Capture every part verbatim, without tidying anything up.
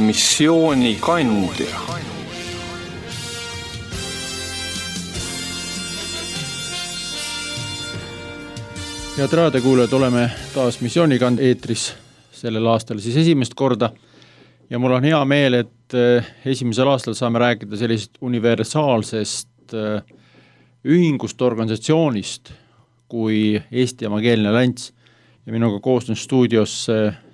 missioonikandja. Head raadiokuulajad, oleme taas missioonikandja eetris sellel aastal siis esimest korda ja mul on hea meel, et esimesel aastal saame rääkida sellisest universaalsest ühingust, organisatsioonist kui Eesti Evangeelne Allianss ja minuga koostöön stuudios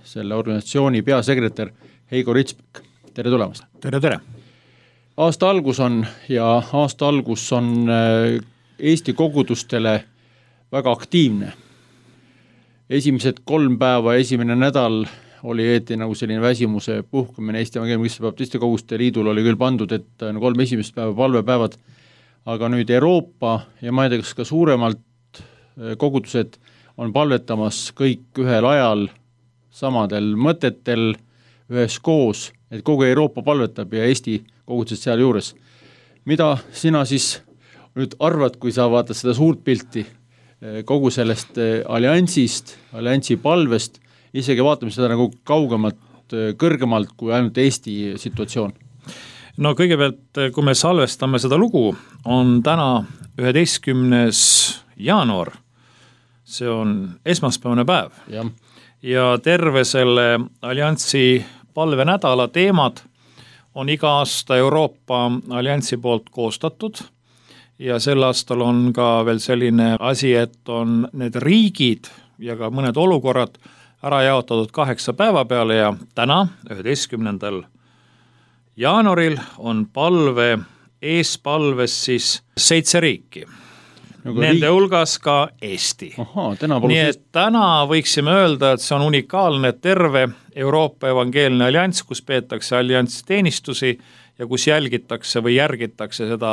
selle organisatsiooni peasekretär Heigo Ritsbek. Tere tulemast! Tere, tere! Aasta algus on ja aasta algus on Eesti kogudustele väga aktiivne. Esimesed kolm päeva, esimene nädal oli eeti nagu selline väsimuse puhkumine. Eesti Evangeelne Baptiste Koguduste Liidul oli küll pandud, et kolm esimest päeva palvepäevad, aga nüüd Euroopa ja ma ei tea, kas ka suuremalt kogudused on palvetamas kõik ühel ajal samadel mõtetel ühes koos, et kogu Euroopa palvetab ja Eesti kogudused seal juures. Mida sina siis nüüd arvad, kui sa vaatad seda suurt pilti kogu sellest alliansist, alliansi palvest, isegi vaatame seda nagu kaugemalt, kõrgemalt kui ainult Eesti situatsioon? No kõigepealt, kui me salvestame seda lugu, on täna üheteistkümnes jaanuar, see on esmaspäevane päev ja, ja terve selle alliansi palvenädala teemad on iga aasta Euroopa alliansi poolt koostatud ja sel aastal on ka veel selline asi, et on need riigid ja ka mõned olukorrad ära jaotatud kaheksa päeva peale ja täna, üheteistkümnendal jaanuaril on palve, eespalves siis seitse riiki. Nagu Nende riik... hulgas ka Eesti. Aha, nii et täna võiksime öelda, et see on unikaalne terve Euroopa Evangeelne Allianss, kus peetakse alliansi teenistusi ja kus jälgitakse või järgitakse seda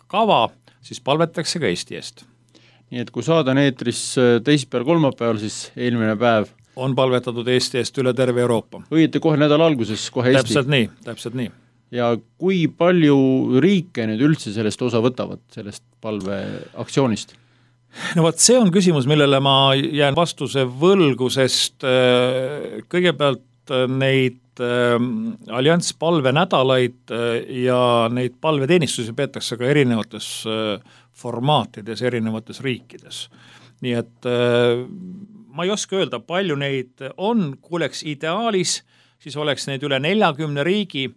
kava, siis palvetakse ka Eesti eest. Nii et kui saada eetris teisipäeval, kolmapäeval, siis eelmine päev on palvetatud Eesti eest üle terve Euroopa. Õieti kohe nädala alguses, kohe Eesti. Täpselt nii, täpselt nii. Ja kui palju riike nüüd üldse sellest osa võtavad, sellest palveaktsioonist? No vaat see on küsimus, millele ma jään vastuse võlgu, sest kõigepealt neid allianss palvenädalaid ja neid palveteenistusi peetakse ka erinevates formaatides, erinevates riikides. Nii et ma ei oska öelda, palju neid on, kui oleks ideaalis, siis oleks neid üle neljakümne riigi,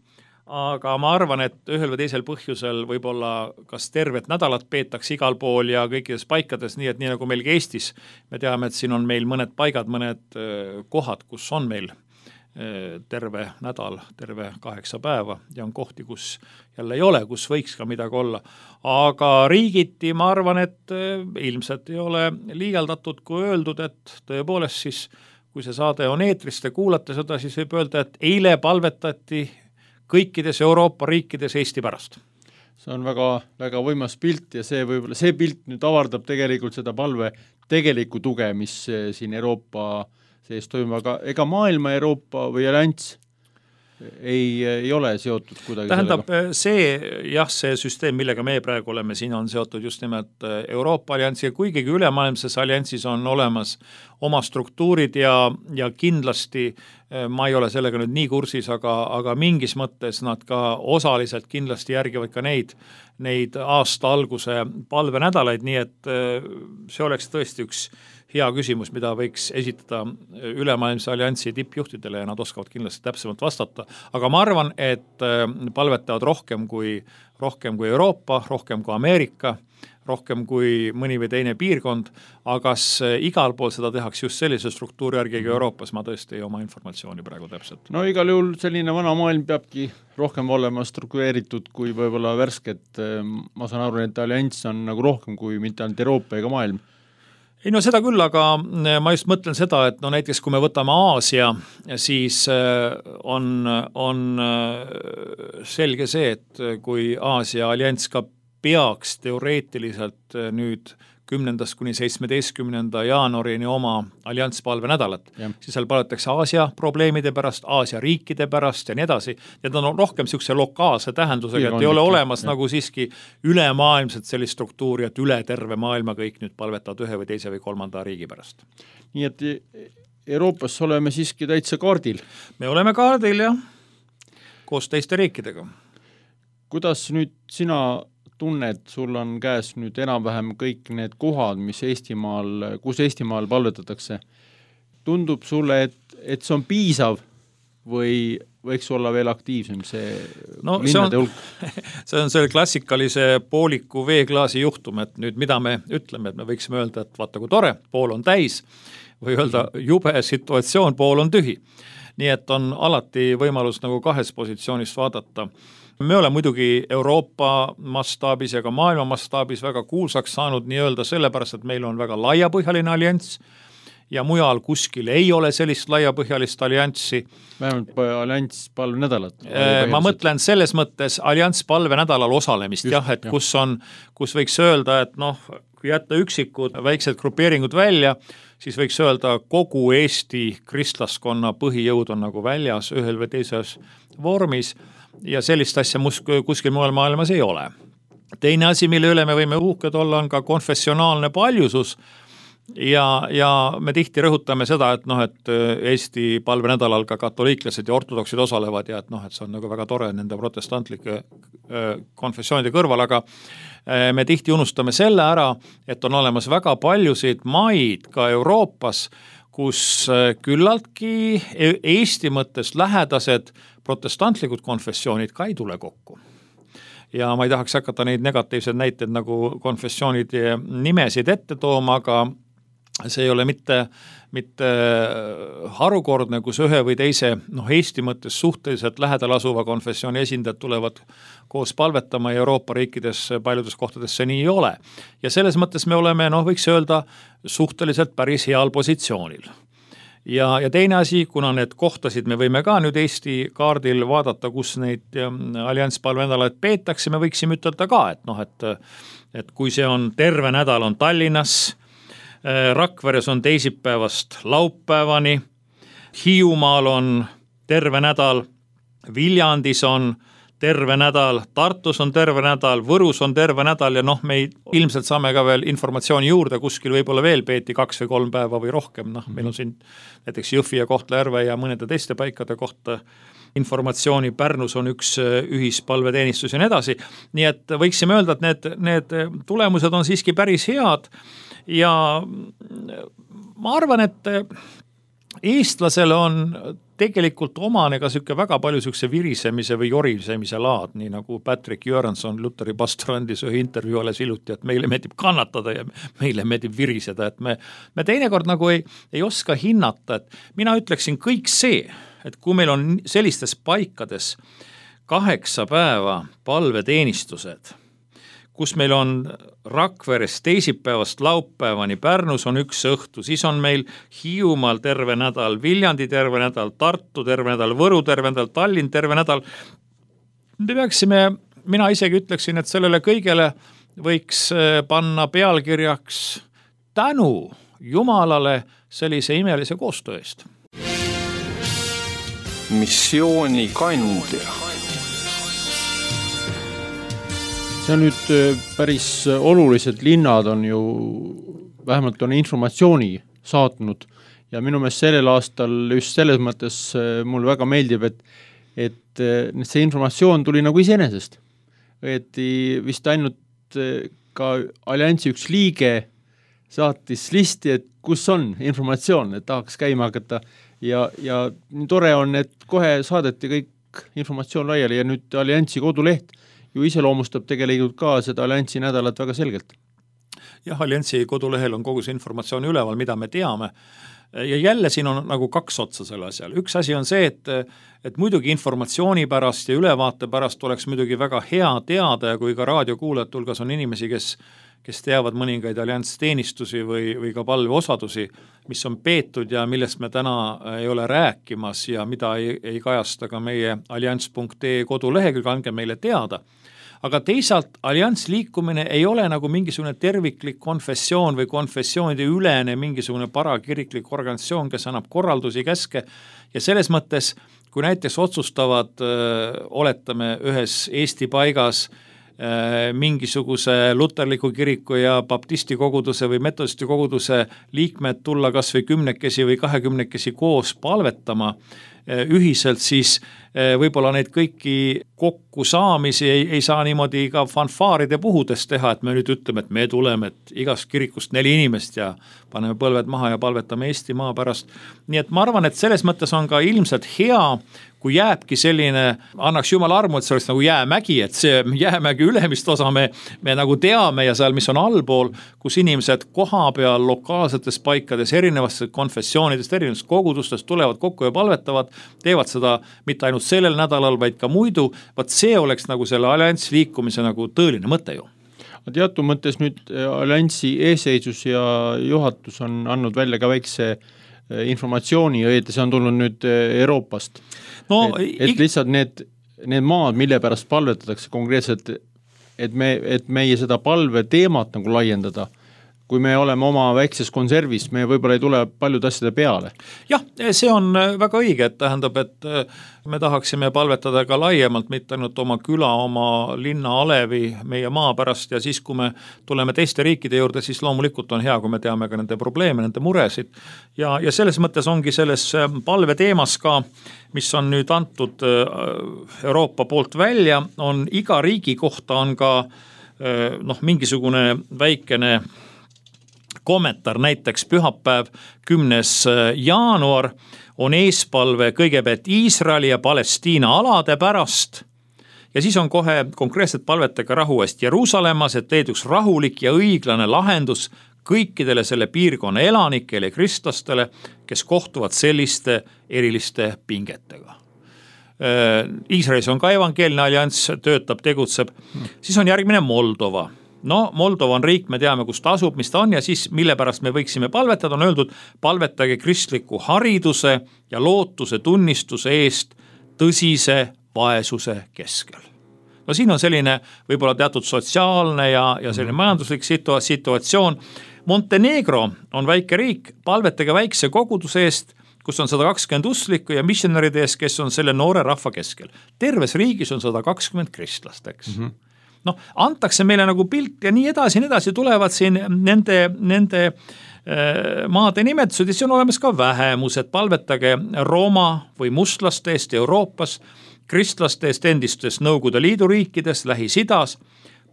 aga ma arvan, et ühel või teisel põhjusel võib-olla kas tervet nädalat peetakse igal pool ja kõikides paikades, nii et nii nagu meil Eestis, me teame, et siin on meil mõned paigad, mõned kohad, kus on meil terve nädal, terve kaheksa päeva ja on kohti, kus jälle ei ole, kus võiks ka midagi olla. Aga riigiti ma arvan, et ilmselt ei ole liialdatud, kui öeldud, et tõepoolest siis, kui see saade on eetris, te kuulate seda, siis võib öelda, et eile palvetati kõikides Euroopa riikides Eesti pärast. See on väga, väga võimas pilt ja see, võib-olla, see pilt nüüd avardab tegelikult seda palve tegelikku tuge, mis siin Euroopa sees toimub, aga ega maailma Euroopa või allianss ei, ei ole seotud kuidagi Tähendab, sellega? see, jah, see süsteem, millega me praegu oleme, siin on seotud just nimelt Euroopa alliansi ja kuigigi ülemaailmses alliansis on olemas oma struktuurid ja, ja kindlasti ma ei ole sellega nüüd nii kursis, aga, aga mingis mõttes nad ka osaliselt kindlasti järgivad ka neid, neid aasta alguse palvenädalaid, nii et see oleks tõesti üks hea küsimus, mida võiks esitada ülemaailmse alliansi tippjuhtidele ja nad oskavad kindlasti täpsemalt vastata. Aga ma arvan, et palvetavad rohkem kui, rohkem kui Euroopa, rohkem kui Ameerika, rohkem kui mõni või teine piirkond, aga igal pool seda tehakse just sellise struktuuri järgi Euroopas, ma tõesti ei oma informatsiooni praegu täpselt. No igal juhul selline vana maailm peabki rohkem olema struktureeritud kui võib-olla värsket. Ma saan aru, et allianss on nagu rohkem kui mitte ainult Euroopa ega maailm. Ei no seda küll, aga ma just mõtlen seda, et no näiteks kui me võtame Aasia, siis on, on selge see, et kui Aasia allianss ka peaks teoreetiliselt nüüd kümnendast kuni seitsmeteistkümnenda jaanuarini oma allianspalve nädalat, ja. siis seal palvetakse Aasia probleemide pärast, Aasia riikide pärast ja nii edasi. Need on rohkem niisuguse lokaalse tähendusega, et ei ole olemas ja. nagu siiski ülemaailmselt sellist struktuuri, et üle terve maailma kõik nüüd palvetavad ühe või teise või kolmanda riigi pärast. Nii et Euroopas oleme siiski täitsa kaardil. Me oleme kaardil, jah. koos teiste riikidega. Kuidas nüüd sina tunned, sul on käes nüüd enam-vähem kõik need kohad, mis Eestimaal, kus Eestimaal palvetatakse. Tundub sulle, et, et see on piisav või võiks olla veel aktiivsem see no, linnade hulk? See on selle klassikalise pooliku veeklaasi juhtum, et nüüd mida me ütleme, et me võiksime öelda, et vaata kui tore, pool on täis või öelda jube situatsioon, pool on tühi. Nii et on alati võimalus nagu kahes positsioonist vaadata. Me oleme muidugi Euroopa mastaabis ja ka maailma mastaabis väga kuulsaks saanud nii öelda sellepärast, et meil on väga laiapõhjaline allianss ja mujal kuskil ei ole sellist laiapõhjalist allianssi. Vähemalt allianss palvenädalat. Ma mõtlen selles mõttes allianss palvenädalal osalemist, Just, jah, et jah. Kus, on, kus võiks öelda, et noh, kui jätta üksikud väiksed grupeeringud välja, siis võiks öelda, kogu Eesti kristlaskonna põhijõud on nagu väljas ühel või teises vormis ja sellist asja kuskil mujal maailmas ei ole. Teine asi, mille üle me võime uhked olla, on ka konfessionaalne paljusus ja, ja me tihti rõhutame seda, et noh, et Eesti palvenädalal ka katoliiklased ja ortodoksid osalevad ja et noh, et see on nagu väga tore nende protestantlike konfessioonide kõrval, aga me tihti unustame selle ära, et on olemas väga paljusid maid ka Euroopas, kus küllaltki Eesti mõttes lähedased protestantlikud konfessioonid ka ei tule kokku. Ja ma ei tahaks hakata neid negatiivseid näiteid nagu konfessioonide nimesid ette tooma, aga see ei ole mitte, mitte harukordne, kus ühe või teise noh, Eesti mõttes suhteliselt lähedal asuva konfessiooni esindajad tulevad koos palvetama ja Euroopa riikides paljudes kohtades see nii ei ole. Ja selles mõttes me oleme, noh, võiks öelda, suhteliselt päris heal positsioonil. Ja, ja teine asi, kuna need kohtasid me võime ka nüüd Eesti kaardil vaadata, kus neid allianss palvenädalaid peetakse, me võiksime ütelda ka, et noh, et, et kui see on terve nädal on Tallinnas, Rakveres on teisipäevast laupäevani, Hiiumaal on terve nädal, Viljandis on terve nädal, Tartus on terve nädal, Võrus on terve nädal ja noh, me ei, ilmselt saame ka veel informatsiooni juurde, kuskil võib-olla veel peeti kaks või kolm päeva või rohkem, noh, meil on siin näiteks Jõhvi ja Kohtla-Järve ja mõnede teiste paikade kohta informatsiooni, Pärnus on üks ühispalveteenistus ja nii edasi, nii et võiksime öelda, et need, need tulemused on siiski päris head ja ma arvan, et eestlasel on tegelikult omane ka süke väga palju sükse virisemise või jorisemise laad, nii nagu Patrick Jöransson Luteri pastorandis ühe intervjuu alles iluti, et meile meeldib kannatada ja meile meeldib viriseda, et me, me teinekord nagu ei, ei oska hinnata, et mina ütleksin kõik see, et kui meil on sellistes paikades kaheksa päeva palveteenistused, kus meil on Rakveres teisipäevast laupäevani, Pärnus on üks õhtu, siis on meil Hiiumaal terve nädal, Viljandi terve nädal, Tartu terve nädal, Võru terve nädal, Tallinn terve nädal. Me peaksime, mina isegi ütleksin, et sellele kõigele võiks panna pealkirjaks tänu Jumalale sellise imelise koostöö eest. Missiooni kandja. See on nüüd päris olulised linnad on ju, vähemalt on informatsiooni saatnud ja minu meelest sellel aastal just selles mõttes mul väga meeldib, et, et see informatsioon tuli nagu iseenesest. Et vist ainult ka alliansi üks liige saatis listi, et kus on informatsioon, et tahaks käima hakata ja, ja nii tore on, et kohe saadeti kõik informatsioon laiali ja nüüd alliansi koduleht ju iseloomustab tegelikult ka seda alliansi nädalat väga selgelt. Jah, alliansi kodulehel on kogu see informatsioon üleval, mida me teame. Ja jälle siin on nagu kaks otsa selle asjal. Üks asi on see, et, et muidugi informatsiooni pärast ja ülevaate pärast oleks muidugi väga hea teada ja kui ka raadiokuulajate hulgas on inimesi, kes, kes teavad mõningaid alliansteenistusi või, või ka palveosadusi, mis on peetud ja millest me täna ei ole rääkimas ja mida ei, ei kajasta ka meie allianss punkt ee kodulehekülg, andke meile teada. Aga teisalt allianss liikumine ei ole nagu mingisugune terviklik konfessioon või konfessioonide ülene mingisugune parakiriklik organisatsioon, kes annab korraldusi, käske ja selles mõttes, kui näiteks otsustavad, öö, oletame ühes Eesti paigas öö, mingisuguse luterliku kiriku ja baptisti koguduse või metodisti koguduse liikmed tulla kas või kümnekesi või kahekümnekesi koos palvetama ühiselt, siis võib-olla neid kõiki kokku saamisi ei, ei saa niimoodi ka fanfaaride puhudes teha, et me nüüd ütleme, et me tuleme, et igast kirikust neli inimest ja paneme põlved maha ja palvetame Eesti maa pärast. Nii et ma arvan, et selles mõttes on ka ilmselt hea, kui jääbki selline, annaks jumal armu, et see oleks nagu jäämägi, et see jäämägi ülemist osa me, me nagu teame ja seal, mis on allpool, kus inimesed koha peal lokaalsetes paikades, erinevast konfessioonidest, erinevast kogudustest tulevad kokku ja palvetavad, teevad seda mitte ainult sellel nädalal, vaid ka muidu, vaat see oleks nagu selle alliansi liikumise nagu tõeline mõte ju. Teatud mõttes nüüd alliansi eeseisus ja juhatus on andnud välja ka väikse informatsiooni, õieti see on tulnud nüüd Euroopast. No, et, et lihtsalt need, need maad, mille pärast palvetatakse konkreetselt, et, me, et meie seda palve teemat nagu laiendada, kui me oleme oma väikses konservis, me võib-olla ei tule paljud asjade peale. Jah, see on väga õige, et tähendab, et me tahaksime palvetada ka laiemalt, mitte ainult oma küla, oma linna alevi, meie maa pärast ja siis, kui me tuleme teiste riikide juurde, siis loomulikult on hea, kui me teame ka nende probleeme, nende muresid ja, ja selles mõttes ongi selles palve teemas ka, mis on nüüd antud Euroopa poolt välja, on iga riigi kohta on ka noh, mingisugune väikene kommentaar, näiteks pühapäev kümnes jaanuar on eespalve kõigepealt Iisraeli ja Palestiina alade pärast ja siis on kohe konkreetselt palvetega rahu eest Jeruusalemmas, et leeduks rahulik ja õiglane lahendus kõikidele selle piirkonna elanikele ja kristlastele, kes kohtuvad selliste eriliste pingetega. Iisraelis on ka evangeelne allianss, töötab, tegutseb, siis on järgmine Moldova. No Moldova on riik, me teame, kus ta asub, mis ta on ja siis mille pärast me võiksime palvetada, on öeldud, palvetage kristliku hariduse ja lootuse tunnistuse eest tõsise vaesuse keskel. No siin on selline võib-olla teatud sotsiaalne ja, ja selline majanduslik situa- situatsioon. Montenegro on väike riik, palvetage väikse koguduse eest, kus on sada kakskümmend usklikku ja missionäride eest, kes on selle noore rahva keskel. Terves riigis on sada kakskümmend kristlast, eks. Mm-hmm. Noh, antakse meile nagu pilt ja nii edasi, nii edasi tulevad siin nende, nende maade nimetused ja see on olemas ka vähemused, palvetage Rooma või mustlaste eest Euroopas, kristlaste eest endistes Nõukogude Liidu riikides, Lähis-Idas,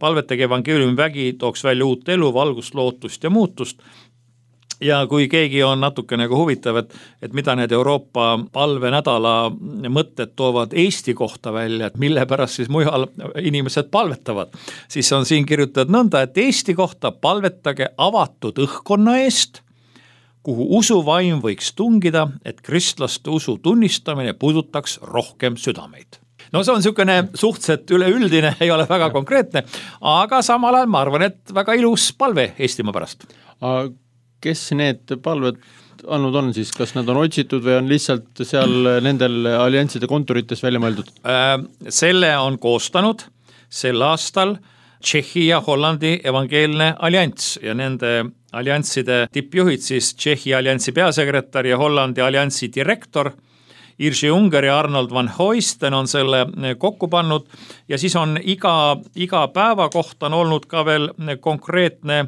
palvetage evangeeliumi vägi, tooks välja uut elu, valgust, lootust ja muutust. Ja kui keegi on natuke nagu huvitav, et, et mida need Euroopa palvenädala mõtted toovad Eesti kohta välja, et mille pärast siis mujal inimesed palvetavad, siis on siin kirjutatud nõnda, et Eesti kohta palvetage avatud õhkkonna eest, kuhu usuvaim võiks tungida, et kristlaste usu tunnistamine puudutaks rohkem südameid. No see on niisugune suhteliselt üleüldine, ei ole väga konkreetne, aga samal ajal ma arvan, et väga ilus palve Eestimaa pärast. Kes need palved andnud on siis, kas nad on otsitud või on lihtsalt seal nendel allianside kontorites välja mõeldud? Selle on koostanud sel aastal Tšehhi ja Hollandi evangeelne allianss ja nende alliansside tippjuhid siis Tšehhi alliansi peasekretär ja Hollandi alliansi direktor Irši Unger ja Arnold van Hoisten on selle kokku pannud ja siis on iga, iga päeva kohta on olnud ka veel konkreetne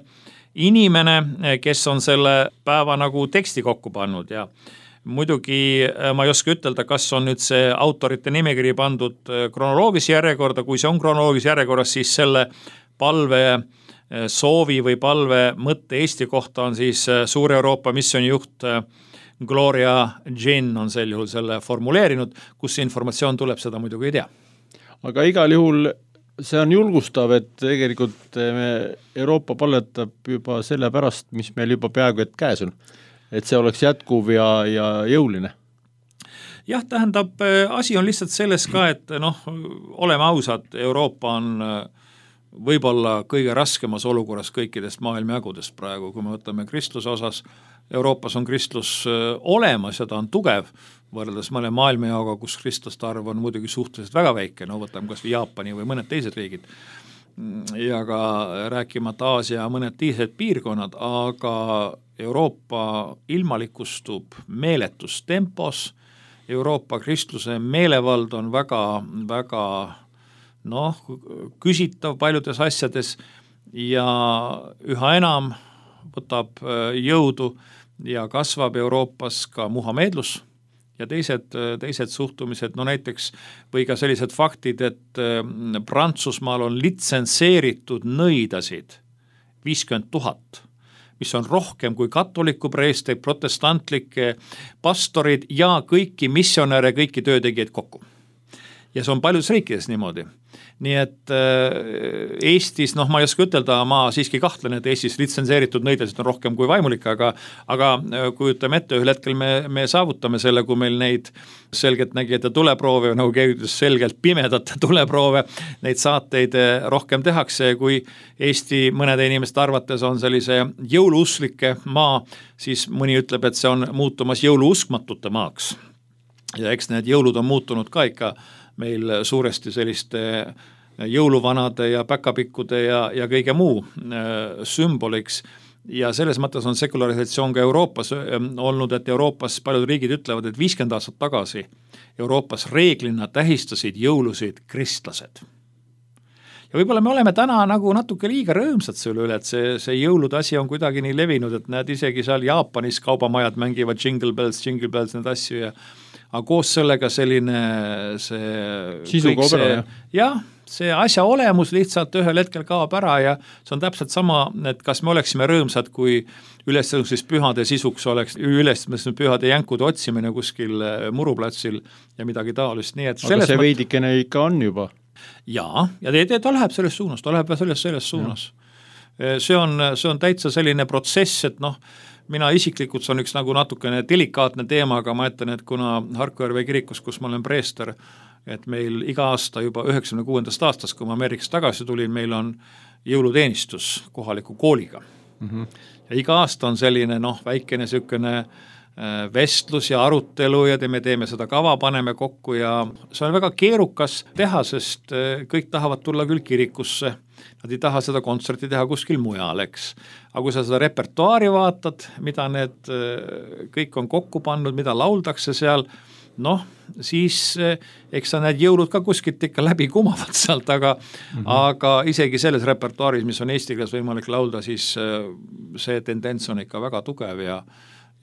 inimene, kes on selle päeva nagu teksti kokku pannud ja muidugi ma ei oska ütelda, kas on nüüd see autorite nimekiri pandud kronoloogilise järjekorda, kui see on kronoloogilise järjekorras, siis selle palve soovi või palve mõtte Eesti kohta on siis Suur Euroopa missiooni juht Gloria Jean on sel juhul selle formuleerinud, kus see informatsioon tuleb, seda muidugi ei tea. Aga igal juhul see on julgustav, et tegelikult me Euroopa palvetab juba selle pärast, mis meil juba peaaegu et käes on. Et see oleks jätkuv ja, ja jõuline. Jah, tähendab, asi on lihtsalt selles ka, et noh, oleme ausad, Euroopa on võib-olla kõige raskemas olukorras kõikidest maailmajagudest praegu, kui me võtame kristluse osas. Euroopas on kristlus olemas ja ta on tugev, võrreldes mõne maailmajaoga, kus kristlaste arv on muidugi suhteliselt väga väike, no võtame kas või Jaapani või mõned teised riigid ja ka rääkimata Aasia ja mõned teised piirkonnad, aga Euroopa ilmalikustub meeletus tempos, Euroopa kristluse meelevald on väga, väga noh, küsitav paljudes asjades ja üha enam võtab jõudu ja kasvab Euroopas ka muhameedlus, ja teised, teised suhtumised, no näiteks või ka sellised faktid, et Prantsusmaal on litsenseeritud nõidasid viiskümmend tuhat, mis on rohkem kui katoliku preesteid, protestantlikke pastorid ja kõiki missionäre, kõiki töötegijaid kokku. Ja see on paljudes riikides niimoodi. Nii et Eestis, noh ma ei oska ütelda, ma siiski kahtlen, et Eestis litsenseeritud nõidasid on rohkem kui vaimulik, aga, aga kujutame ette, ühel hetkel me, me saavutame selle, kui meil neid selgelt nägijate tuleproove, nagu keevitus selgelt pimedate tuleproove, neid saateid rohkem tehakse, kui Eesti mõnede inimeste arvates on sellise jõuluuslike maa, siis mõni ütleb, et see on muutumas jõuluuskmatute maaks. Ja eks need jõulud on muutunud ka ikka meil suuresti selliste jõuluvanade ja päkapikkude ja, ja kõige muu äh, sümboliks ja selles mõttes on sekularisatsioon ka Euroopas äh, olnud, et Euroopas paljud riigid ütlevad, et viiskümmend aastat tagasi Euroopas reeglina tähistasid jõulusid kristlased. Ja võib-olla me oleme täna nagu natuke liiga rõõmsad selle üle, et see, see jõulude asi on kuidagi nii levinud, et näed isegi seal Jaapanis kaubamajad mängivad jingle bells, jingle bells, need asju ja aga koos sellega selline see sisuga opera, jah. jah, see asja olemus lihtsalt ühel hetkel kaob ära ja see on täpselt sama, et kas me oleksime rõõmsad, kui ülestõusmis pühade sisuks oleks ülestõusmis pühade jänkude otsimine kuskil muruplatsil ja midagi taolist. Nii et aga see veidikene ikka on juba. Jaa, ja ta, ta läheb selles suunas, ta läheb selles, selles suunas. See on, see on täitsa selline protsess, et noh, mina isiklikult, see on üks nagu natukene delikaatne teema, aga ma ütlen, et kuna Harku Järve kirikus, kus ma olen preester, et meil iga aasta juba üheksakümne kuuendast aastast, kui ma Ameerikast tagasi tulin, meil on jõuluteenistus kohaliku kooliga. Mm-hmm. Ja iga aasta on selline noh, väikene sükene vestlus ja arutelu ja me teeme seda kava, paneme kokku ja see on väga keerukas teha, sest kõik tahavad tulla küll kirikusse, nad ei taha seda kontserti teha kuskil mujal, eks. Aga kui sa seda repertuaari vaatad, mida need kõik on kokku pannud, mida lauldakse seal, noh, siis eks sa need jõulud ka kuskilt ikka läbi kumavad sealt, aga, mm-hmm. aga isegi selles repertuaaris, mis on eesti keeles võimalik laulda, siis see tendents on ikka väga tugev ja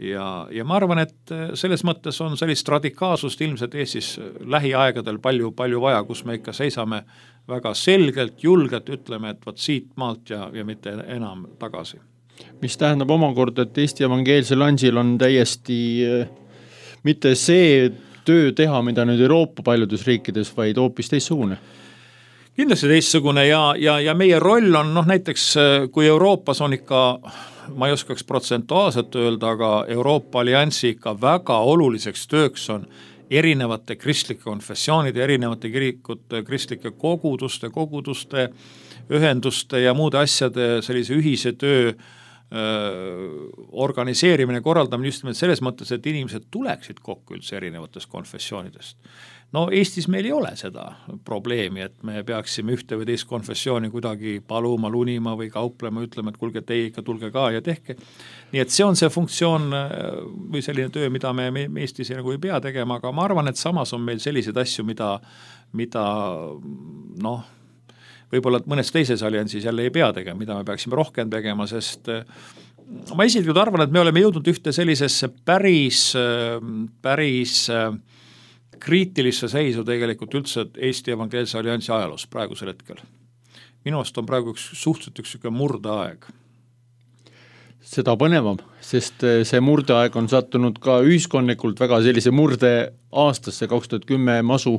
Ja, ja ma arvan, et selles mõttes on sellist radikaalsust ilmselt Eestis lähiaegadel palju, palju vaja, kus me ikka seisame väga selgelt, julgelt, ütleme, et võt siit maalt ja, ja mitte enam tagasi. Mis tähendab omakorda, et Eesti evangeelsel Ansil on täiesti mitte see töö teha, mida nüüd Euroopa paljudes riikides, vaid hoopis teistsugune. Kindlasti teistsugune ja, ja, ja meie roll on noh, näiteks kui Euroopas on ikka ma ei oskaks protsentuaalselt öelda, aga Euroopa Alliansi ikka väga oluliseks tööks on erinevate kristlike konfessioonide, erinevate kirikute, kristlike koguduste, koguduste, ühenduste ja muude asjade sellise ühise töö organiseerimine, korraldamine just nimelt selles mõttes, et inimesed tuleksid kokku üldse erinevatest konfessioonidest. No Eestis meil ei ole seda probleemi, et me peaksime ühte või teist konfessiooni kuidagi paluma, lunima või kauplema, ütlema, et kulge teie ikka tulge ka ja tehke. Nii et see on see funktsioon või selline töö, mida me, me Eestis nagu ei pea tegema, aga ma arvan, et samas on meil selliseid asju, mida, mida noh, võib-olla mõnes teises alliansis jälle ei pea tegema, mida me peaksime rohkem tegema, sest ma isiklikult arvan, et me oleme jõudnud ühte sellisesse päris, päris kriitilisse seisu tegelikult üldse Eesti evangeelse alliansi ajaloos praegusel hetkel. Minu arust on praegu üks suhteliselt üks murdeaeg. Seda põnevam, sest see murdeaeg on sattunud ka ühiskondlikult väga sellise murde aastasse kaks tuhat kümme masu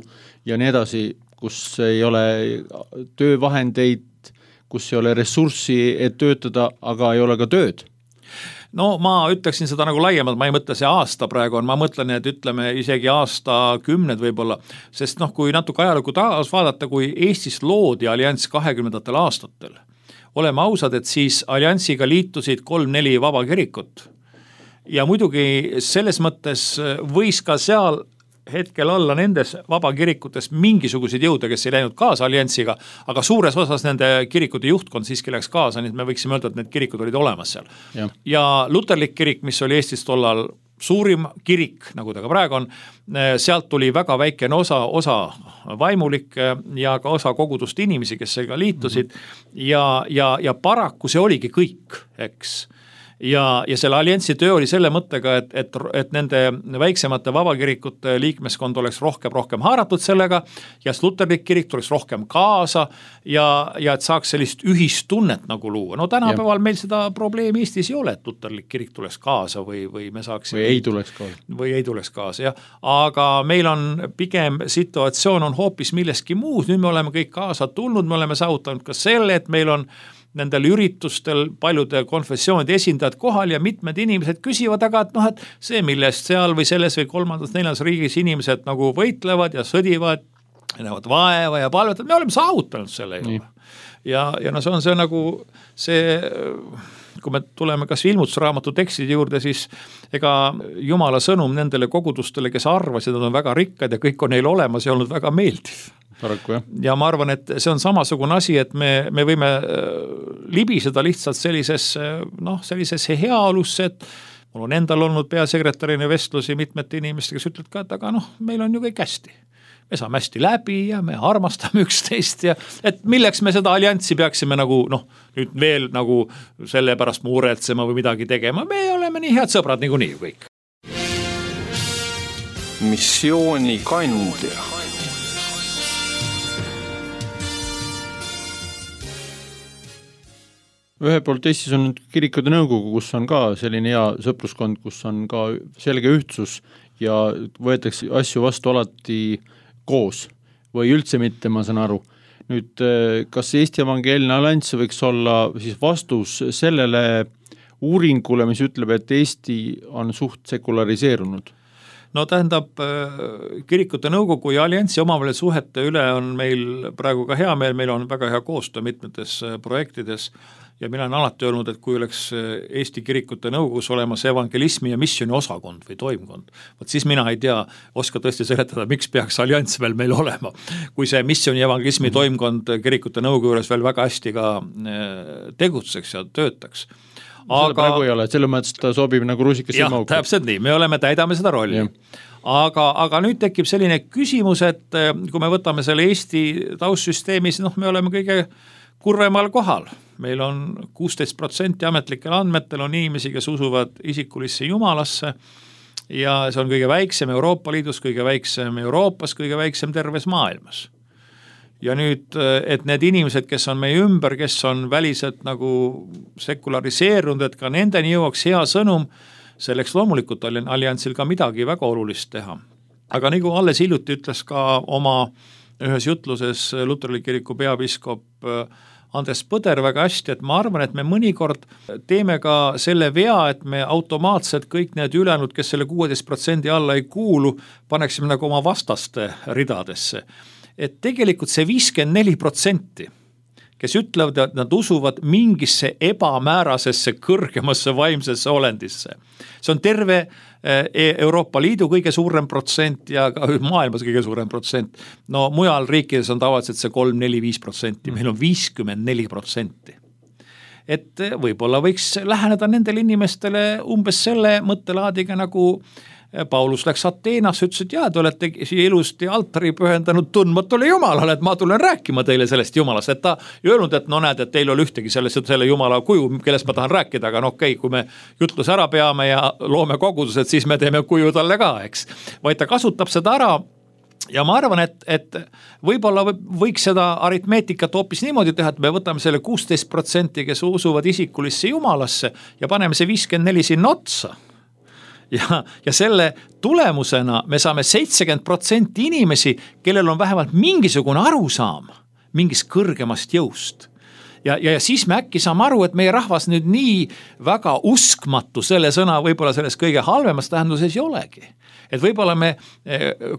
ja nii edasi, kus ei ole töövahendeid, kus ei ole ressurssi, et töötada, aga ei ole ka tööd. No ma ütleksin seda nagu laiemalt, ma ei mõtle see aasta praegu on, ma mõtlen, et ütleme isegi aasta kümned võib-olla, sest noh, kui natuke ajalukku taas vaadata, kui Eestis loodi allianss kahekümnendatel aastatel, oleme ausad, et siis alliansiga liitusid kolm-neli vaba kirikut ja muidugi selles mõttes võis ka seal hetkel olla nendes vabakirikutes mingisuguseid jõude, kes ei läinud kaasa alliansiga, aga suures osas nende kirikute juhtkond siiski läks kaasa, nii et me võiksime öelda, et need kirikud olid olemas seal. Ja, ja luterlik kirik, mis oli Eestis tollal suurim kirik, nagu ta ka praegu on, sealt tuli väga väikene osa, osa vaimulik ja ka osa kogudust inimesi, kes seega liitusid mm-hmm. ja, ja, ja paraku see oligi kõik, eks. ja, ja selle alliansi töö oli selle mõttega, et, et, et nende väiksemate vabakirikute liikmeskond oleks rohkem, rohkem haaratud sellega ja luterlik kirik tuleks rohkem kaasa ja, ja et saaks sellist ühistunnet nagu luua. No tänapäeval ja. Meil seda probleemi Eestis ei ole, et luterlik kirik tuleks kaasa või, või me saaksime... Või ei tuleks kaasa. Või ei tuleks kaasa, jah. Aga meil on pigem situatsioon on hoopis milleski muus, nüüd me oleme kõik kaasa tulnud, me oleme saavutanud ka selle, et meil on nendel üritustel paljude konfessioonide esindajad kohal ja mitmed inimesed küsivad, aga et noh, et see, millest seal või selles või kolmandas, neljas riigis inimesed nagu võitlevad ja sõdivad, näevad vaeva ja palvetavad, me oleme saavutanud selle ju. Ja, ja no see on see nagu see... kui me tuleme kas ilmutusraamatu tekstide juurde, siis ega Jumala sõnum nendele kogudustele, kes arvasid, nad on väga rikkad ja kõik on neil olemas ja olnud väga meeldiv. Paraku, jah. Ja ma arvan, et see on samasugune asi, et me, me võime libiseda lihtsalt sellises, noh, sellises heaolusse, et mul on endal olnud peasekretärina vestlusi mitmete inimestega, kes ütlevad ka, et aga noh, meil on ju kõik hästi. Me saame hästi läbi ja me armastame üksteist ja et milleks me seda allianssi peaksime nagu noh, nüüd veel nagu selle pärast muretsema või midagi tegema, me oleme nii head sõbrad niikuinii ju kõik. Missiooni kandja. Ühe poolt Eestis on kirikute nõukogu, kus on ka selline hea sõpruskond, kus on ka selge ühtsus ja võetakse asju vastu alati koos või üldse mitte, ma saan aru. Nüüd, kas Eesti Evangeelne Allianss võiks olla siis vastus sellele uuringule, mis ütleb, et Eesti on suht sekulariseerunud? No tähendab, kirikute nõukogu ja alliansi omavahel suhete üle on meil praegu ka hea meel, meil on väga hea koostöö mitmetes projektides ja mina olen alati öelnud, et kui oleks Eesti kirikute nõukogus olemas evangelismi ja missiooni osakond või toimkond, võt siis mina ei tea, oska tõesti seletada, miks peaks allianss veel meil olema. Kui see missiooni ja evangelismi mm-hmm. toimkond kirikute nõukogu juures veel väga hästi ka tegutseks ja töötaks. Aga praegu ei ole, selle mõttes ta sobib nagu rusikas jah, täpselt nii, me oleme, täidame seda rolli. Aga, aga nüüd tekib selline küsimus, et kui me võtame selle Eesti taustsüsteemis, noh, me oleme kõige kurvemal kohal. Meil on kuusteist protsenti ametlikel andmetel on inimesi, kes usuvad isikulisse jumalasse ja see on kõige väiksem Euroopa Liidus, kõige väiksem Euroopas, kõige väiksem terves maailmas. Ja nüüd, et need inimesed, kes on meie ümber, kes on väliselt nagu sekulariseerunud, et ka nendeni jõuaks hea sõnum, selleks loomulikult alliansil ka midagi väga olulist teha. Aga nagu alles hiljuti ütles ka oma ühes jutluses Luterlik kiriku peapiiskop Andres Põder väga hästi, et ma arvan, et me mõnikord teeme ka selle vea, et me automaatselt kõik need ülejäänud, kes selle kuueteist protsendi alla ei kuulu, paneksime nagu oma vastaste ridadesse. Et tegelikult see viiskümmend neli protsenti, kes ütlevad, et nad usuvad mingisse ebamäärasesse kõrgemasse vaimsesse olendisse. See on terve Euroopa Liidu kõige suurem protsent ja ka maailmas kõige suurem protsent. No mujal riikides on tavaliselt see kolm, neli, viis protsenti, meil on viiskümmend neli protsenti. Et võib-olla võiks läheneda nendele inimestele umbes selle mõttelaadiga nagu Paulus läks Ateenas, ütles, et jaa, te olete siia ilusti altari pühendanud tundmatule Jumalale, et ma tulen rääkima teile sellest Jumalast, et ta ei öelnud, et no näed, et teil oli ühtegi sellest, selle Jumala kuju, kellest ma tahan rääkida, aga no okei, kui me jutlus ära peame ja loome kogudused, siis me teeme kuju talle ka, eks. Vaid ta kasutab seda ära ja ma arvan, et, et võib-olla võiks seda aritmeetikat hoopis niimoodi teha, et me võtame selle kuusteist protsenti, kes usuvad isikulisse Jumalasse ja paneme see viiskümmend neli sinna otsa. Ja, ja selle tulemusena me saame seitsekümmend protsenti inimesi, kellel on vähemalt mingisugune arusaam mingist kõrgemast jõust. Ja, ja, ja siis me äkki saame aru, et meie rahvas nüüd nii väga uskmatu selle sõna võib-olla selles kõige halvemas tähenduses ei olegi. Et võib-olla me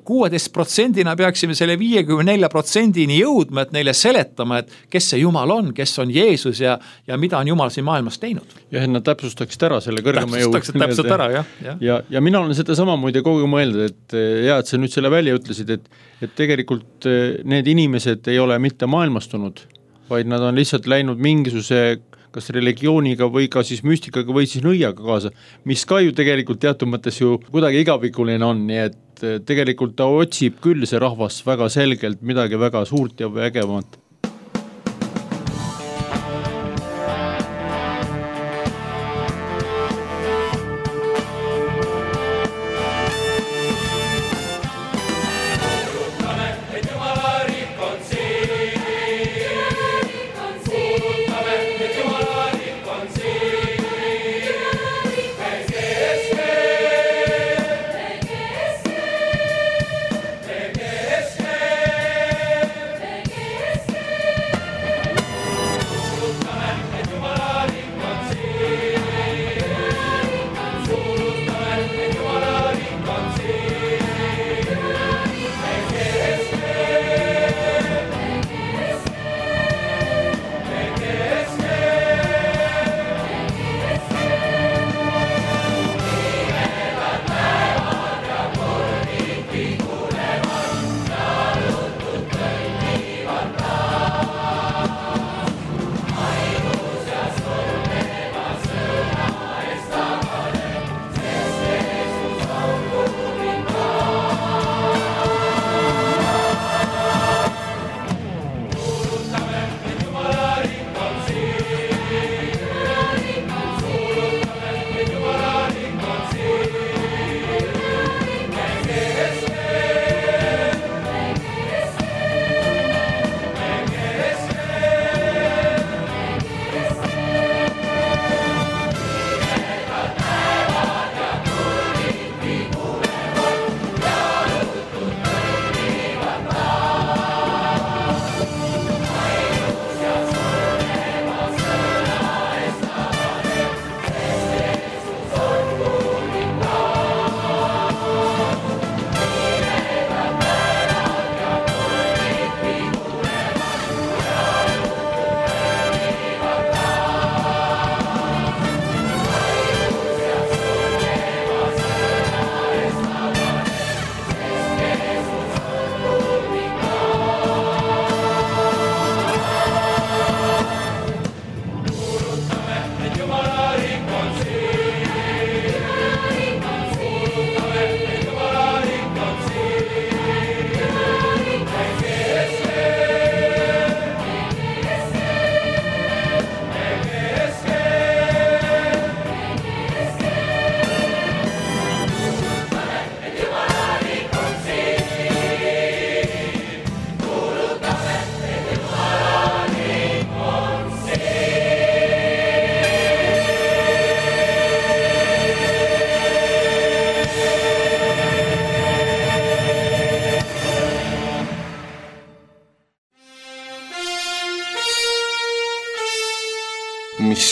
kuueteist protsendina peaksime selle viiekümne nelja protsendini jõudma, et neile seletama, et kes see Jumal on, kes on Jeesus ja, ja mida on Jumal siin maailmas teinud. Ja nad täpsustaksid ära selle kõrgema jõud. Täpsustaksid täpselt ära, jah. Ja, ja, ja mina olen seda sama muide kogu mõelda, et ja, et sa nüüd selle välja ütlesid, et, et tegelikult need inimesed ei ole mitte maailmastunud, vaid nad on lihtsalt läinud mingisuguse kas religiooniga või ka siis müstikaga või siis nõiaga kaasa, mis ka ju tegelikult teatud mõttes ju kuidagi igavikuline on, nii et tegelikult ta otsib küll see rahvas väga selgelt midagi väga suurt ja vägevat.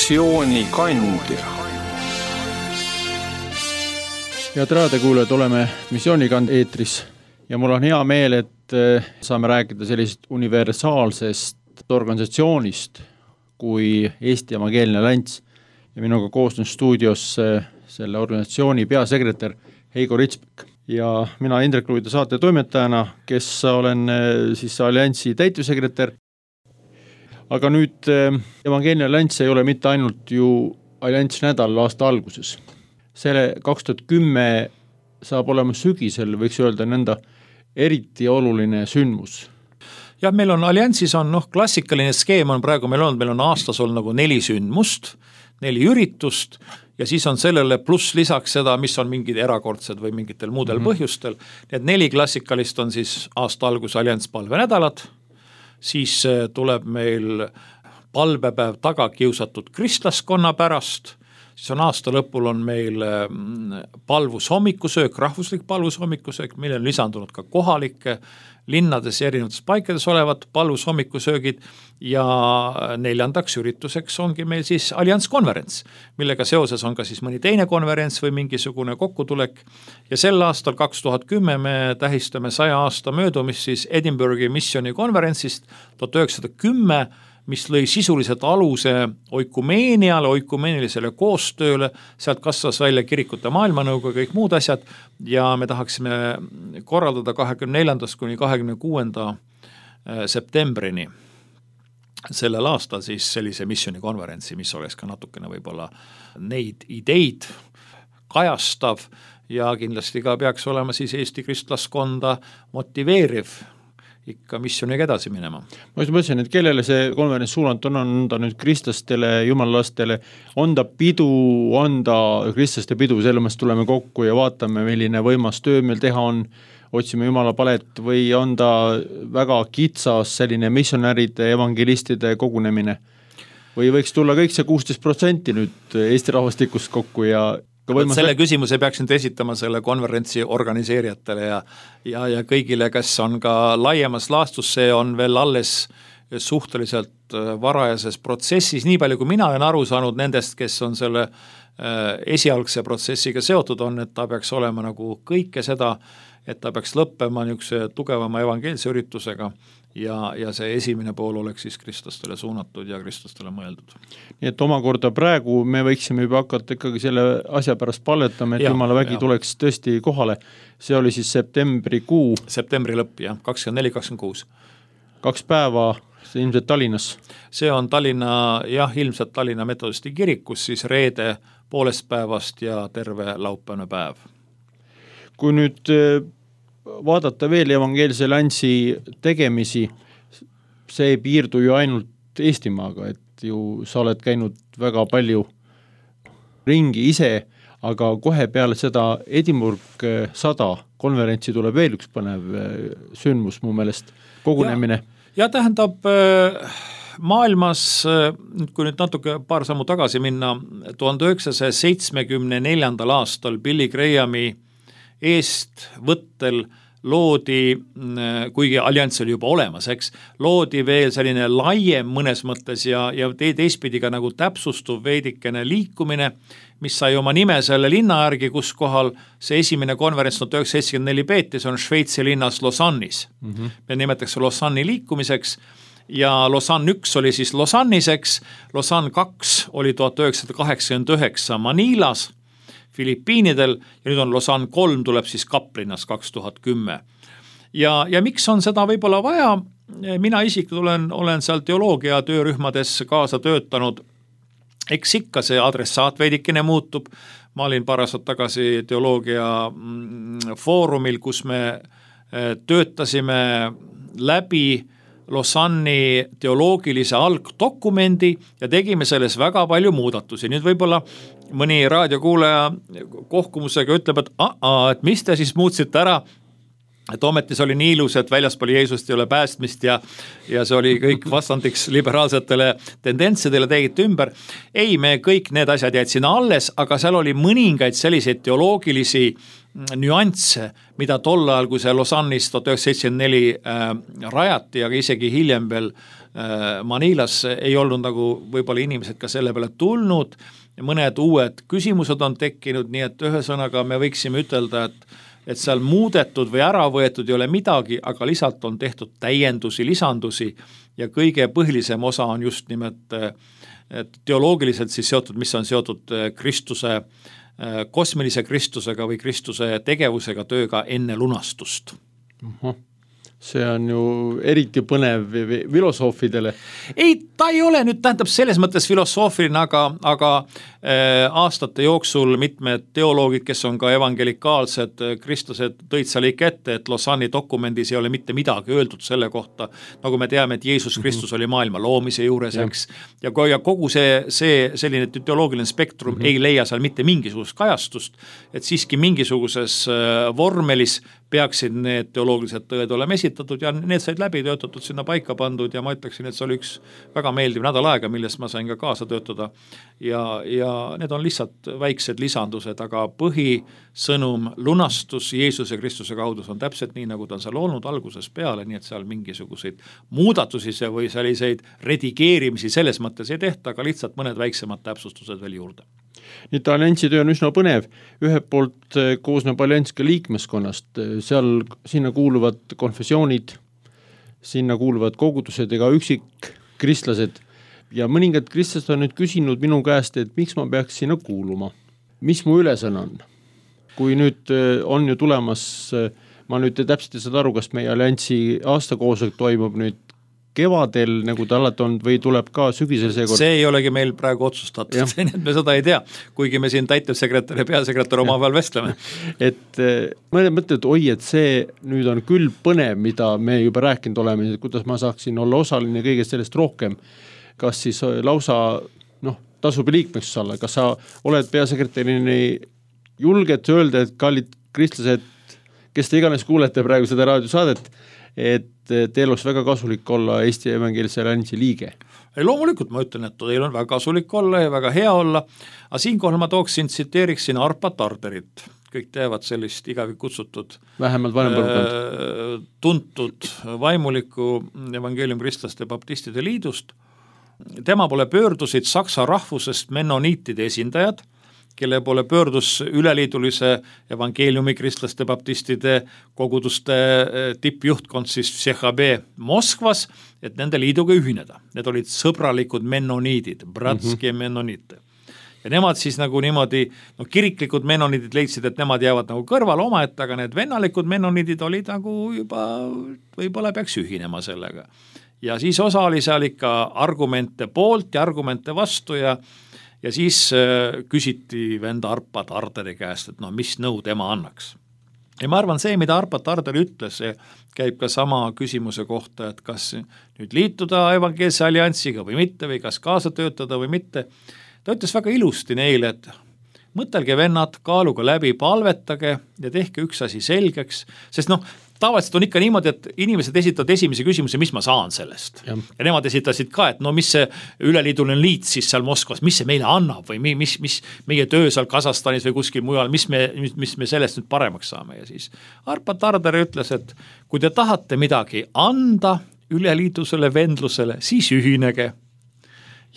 missioonikandja. Head raadiokuulajad, oleme missioonikand eetris ja mul on hea meel, et saame rääkida sellisest universaalsest organisatsioonist kui Eesti Evangeelne Allianss ja minuga koosnud stuudios selle organisatsiooni peasekretär Heigo Ritsbek. Ja mina Indrek Luida saate toimetajana, kes olen siis Allianssi täitevsekretär. Aga nüüd Evangeelne Allianss ei ole mitte ainult ju Allianss nädal aasta alguses. Selle kaks tuhat kümme saab olema sügisel, võiks öelda nõnda, eriti oluline sündmus. Ja meil on Allianssis on noh, klassikaline skeem on praegu meil on, meil on aastas olnud nagu neli sündmust, neli üritust ja siis on sellele pluss lisaks seda, mis on mingid erakordsed või mingitel muudel mm-hmm. põhjustel. Need neli klassikalist on siis aasta algus Allianss palvenädalad, siis tuleb meil palvepäev tagakiusatud kristlaskonna pärast, siis on aasta lõpul on meil palvushommikusöök, rahvuslik palvushommikusöök, mille on lisandunud ka kohalike linnades ja erinevates paikades olevad palvushommikusöögid ja neljandaks ürituseks ongi meil siis Allianss konverents, millega seoses on ka siis mõni teine konverents või mingisugune kokkutulek ja sel aastal kaks tuhat kümme me tähistame saja aasta möödumist siis Edinburghi missiooni konverentsist tuhat üheksasada kümme, mis lõi sisuliselt aluse oikumeeniale, oikumeenilisele koostööle, sealt kasvas välja kirikute maailmanõukogu ja kõik muud asjad ja me tahaksime korraldada kahekümne neljandast kuni kahekümne kuuenda septembrini sellel aastal siis sellise missioonikonverentsi, mis oleks ka natukene võib-olla neid ideid kajastav ja kindlasti ka peaks olema siis Eesti kristlaskonda motiveeriv ikka missiooniga edasi minema. Ma just mõtlesin, et kellele see konverents suunat on, on ta nüüd kristlastele, jumalalastele, on ta pidu, on ta kristlaste pidu, selle mõttes tuleme kokku ja vaatame, milline võimas töö meil teha on, otsime jumala palet või on ta väga kitsas selline missionäride, evangelistide kogunemine või võiks tulla kõik see kuusteist protsenti nüüd Eesti rahvastikust kokku ja selle küsimuse peaks nüüd esitama selle konverentsi organiseerijatele ja, ja, ja kõigile, kes on ka laiemas laastus, see on veel alles suhteliselt varajases protsessis, nii palju kui mina olen aru saanud nendest, kes on selle esialgse protsessiga seotud on, et ta peaks olema nagu kõike seda, et ta peaks lõppema niisuguse tugevama evangeelse üritusega ja, ja see esimene pool oleks siis kristlastele suunatud ja kristlastele mõeldud. Nii et omakorda praegu me võiksime juba hakata ikkagi selle asja pärast palvetama, et ja, jumala vägi ja. Tuleks tõesti kohale. See oli siis septembri kuu. Septembri lõpp, jah, kakskümmend neli kakskümmend kuus. Kaks päeva, see ilmselt Tallinnas. See on Tallinna, jah, ilmselt Tallinna metodisti kirikus, siis reede poolest päevast ja terve laupäevane päev. Kui nüüd vaadata veel Evangeelse Allianssi tegemisi, see ei piirdu ju ainult Eestimaaga, et ju sa oled käinud väga palju ringi ise, aga kohe peale seda Edinburgh sada konverentsi tuleb veel üks põnev sündmus mu meelest, kogunemine. Ja, ja tähendab maailmas, kui nüüd natuke paar sammu tagasi minna, tuhande üheksasaja seitsmekümne neljandal aastal Billy Grahami eest võttel loodi, kuigi allianss oli juba olemas, eks, loodi veel selline laiem mõnes mõttes ja, ja teistpidi ka nagu täpsustuv veidikene liikumine, mis sai oma nime selle linna järgi, kus kohal see esimene konverents tuhat üheksasada seitsekümmend neli peeti, see on Šveitsi linnas Lausanne'is. Mm-hmm. Me nimetaks Lausanne'i liikumiseks ja Lausanne üks oli siis Lausanniseks, Lausanne kaks oli tuhat üheksasada kaheksakümmend üheksa Manilas, Filipiinidel ja nüüd on Lausanne kolm tuleb siis Kaplinnas kaks tuhat kümme. Ja, ja miks on seda võib-olla vaja? Mina isiklikult olen, olen seal teoloogia töörühmades kaasa töötanud. Eks ikka see adressaat veidikene muutub. Ma olin paar aastat tagasi teoloogia foorumil, kus me töötasime läbi Lausanne'i teoloogilise algdokumendi ja tegime selles väga palju muudatusi. Nüüd võib-olla mõni raadiokuulaja kohkumusega ütleb, et, a-a, et mis te siis muutsite ära et ometi see oli nii ilus, et väljaspool Jeesust ei ole päästmist ja, ja see oli kõik vastandiks liberaalsetele tendentsidele tegite ümber. Ei, me kõik need asjad jäid sinna alles, aga seal oli mõningaid selliseid teoloogilisi nüansse, mida tol ajal, kui see Lausanne'is tuhat üheksasada seitsekümmend neli äh, rajati, aga isegi hiljem veel äh, Manilas ei olnud nagu võib-olla inimesed ka selle peale tulnud, mõned uued küsimused on tekkinud, nii et ühesõnaga me võiksime ütelda, et et seal muudetud või ära võetud ei ole midagi, aga lisalt on tehtud täiendusi, lisandusi ja kõige põhilisem osa on just nimelt teoloogiliselt siis seotud, mis on seotud Kristuse, kosmilise Kristusega või Kristuse tegevusega, tööga enne lunastust. Uh-huh. See on ju eriti põnev filosoofidele. Ei, ta ei ole nüüd tähendab selles mõttes filosoofiline, aga, aga äh, aastate jooksul mitmed teoloogid, kes on ka evangelikaalsed kristlased, tõid seal ikka ette, et Lausanne'i dokumendis ei ole mitte midagi öeldud selle kohta, nagu me teame, et Jeesus Kristus mm-hmm. oli maailma loomise juures, eks, ja, ja kogu see, see selline teoloogiline spektrum mm-hmm. ei leia seal mitte mingisugust kajastust, et siiski mingisuguses äh, vormelis peaksid need teoloogilised tõed olema esitatud ja need said läbi töötatud, sinna paika pandud ja ma ütleksin, et see oli üks väga meeldiv nädal aega, millest ma sain ka kaasa töötada ja, ja need on lihtsalt väiksed lisandused, aga põhisõnum lunastus Jeesuse Kristuse kaudu on täpselt nii, nagu ta on seal olnud alguses peale, nii et seal mingisuguseid muudatusi või selliseid redigeerimisi selles mõttes ei tehta, aga lihtsalt mõned väiksemad täpsustused veel juurde. Nii et alliansi töö on üsna põnev, ühelt poolt koosneb allianss ka liikmeskonnast, seal sinna kuuluvad konfessioonid, sinna kuuluvad kogudused ega üksik kristlased ja mõningad kristlased on nüüd küsinud minu käest, et miks ma peaks sinna kuuluma, mis mu ülesanne on. Kui nüüd on ju tulemas, ma nüüd täpselt ei saada aru, kas meie alliansi aastakoosolek toimub nüüd kevadel, nagu ta alati on, või tuleb ka sügisel seekord? See ei olegi meil praegu otsustatud, nii et me seda ei tea, kuigi me siin täitevsekretär ja peasekretär oma peal vestleme. Et mõned mõtted, oi, et see nüüd on küll põnev, mida me juba rääkinud oleme, kuidas ma saaksin olla osaline kõigest sellest rohkem, kas siis lausa noh, tasub liikmeks olla, kas sa oled peasekretärini julged öelda, et kallid kristlased, kes te iganes kuulete praegu seda raadiosaadet, et teil oleks väga kasulik olla Eesti Evangeelse Alliansi liige. Ei, loomulikult ma ütlen, et teil on väga kasulik olla ja väga hea olla, aga siinkohal ma tooksin, tsiteeriksin Arpa Tarderit, kõik teevad sellist igavi kutsutud vähemalt vanem põlvkond tuntud vaimuliku evangeelium kristlaste baptistide liidust. Tema pole pöördusid saksa rahvusest mennoniitide esindajad, kelle poole pöördus üleliidulise evangeeliumi kristlaste baptistide koguduste tippjuhtkond siis C H B Moskvas, et nende liiduga ühineda. Need olid sõbralikud mennoniidid, bratski mm-hmm. mennoniite. Ja nemad siis nagu niimoodi, no kiriklikud mennoniidid leidsid, et nemad jäävad nagu kõrval omaette, aga need vennalikud mennoniidid olid nagu juba, võib-olla peaks ühinema sellega. Ja siis osa oli seal ikka argumente poolt ja argumente vastu ja Ja siis äh, küsiti venda Arpa Tarderi käest, et no mis nõu tema annaks. Ja ma arvan, see, mida Arpa Tarder ütles, see käib ka sama küsimuse kohta, et kas nüüd liituda evangeelse alliansiga või mitte, või kas kaasa töötada või mitte. Ta ütles väga ilusti neile, et mõtelge vennad, kaaluga läbi, palvetage ja tehke üks asi selgeks, sest noh, tavaliselt on ikka niimoodi, et inimesed esitavad esimese küsimuse, mis ma saan sellest. Ja, ja nemad esitasid ka, et no mis see üleliiduline liit siis seal Moskvas, mis see meile annab või mis, mis meie töö seal Kasahstanis või kuskil mujal, mis me, mis me sellest nüüd paremaks saame. Ja siis Arpa Tarder ütles, et kui te tahate midagi anda üleliidusele vendlusele, siis ühinege.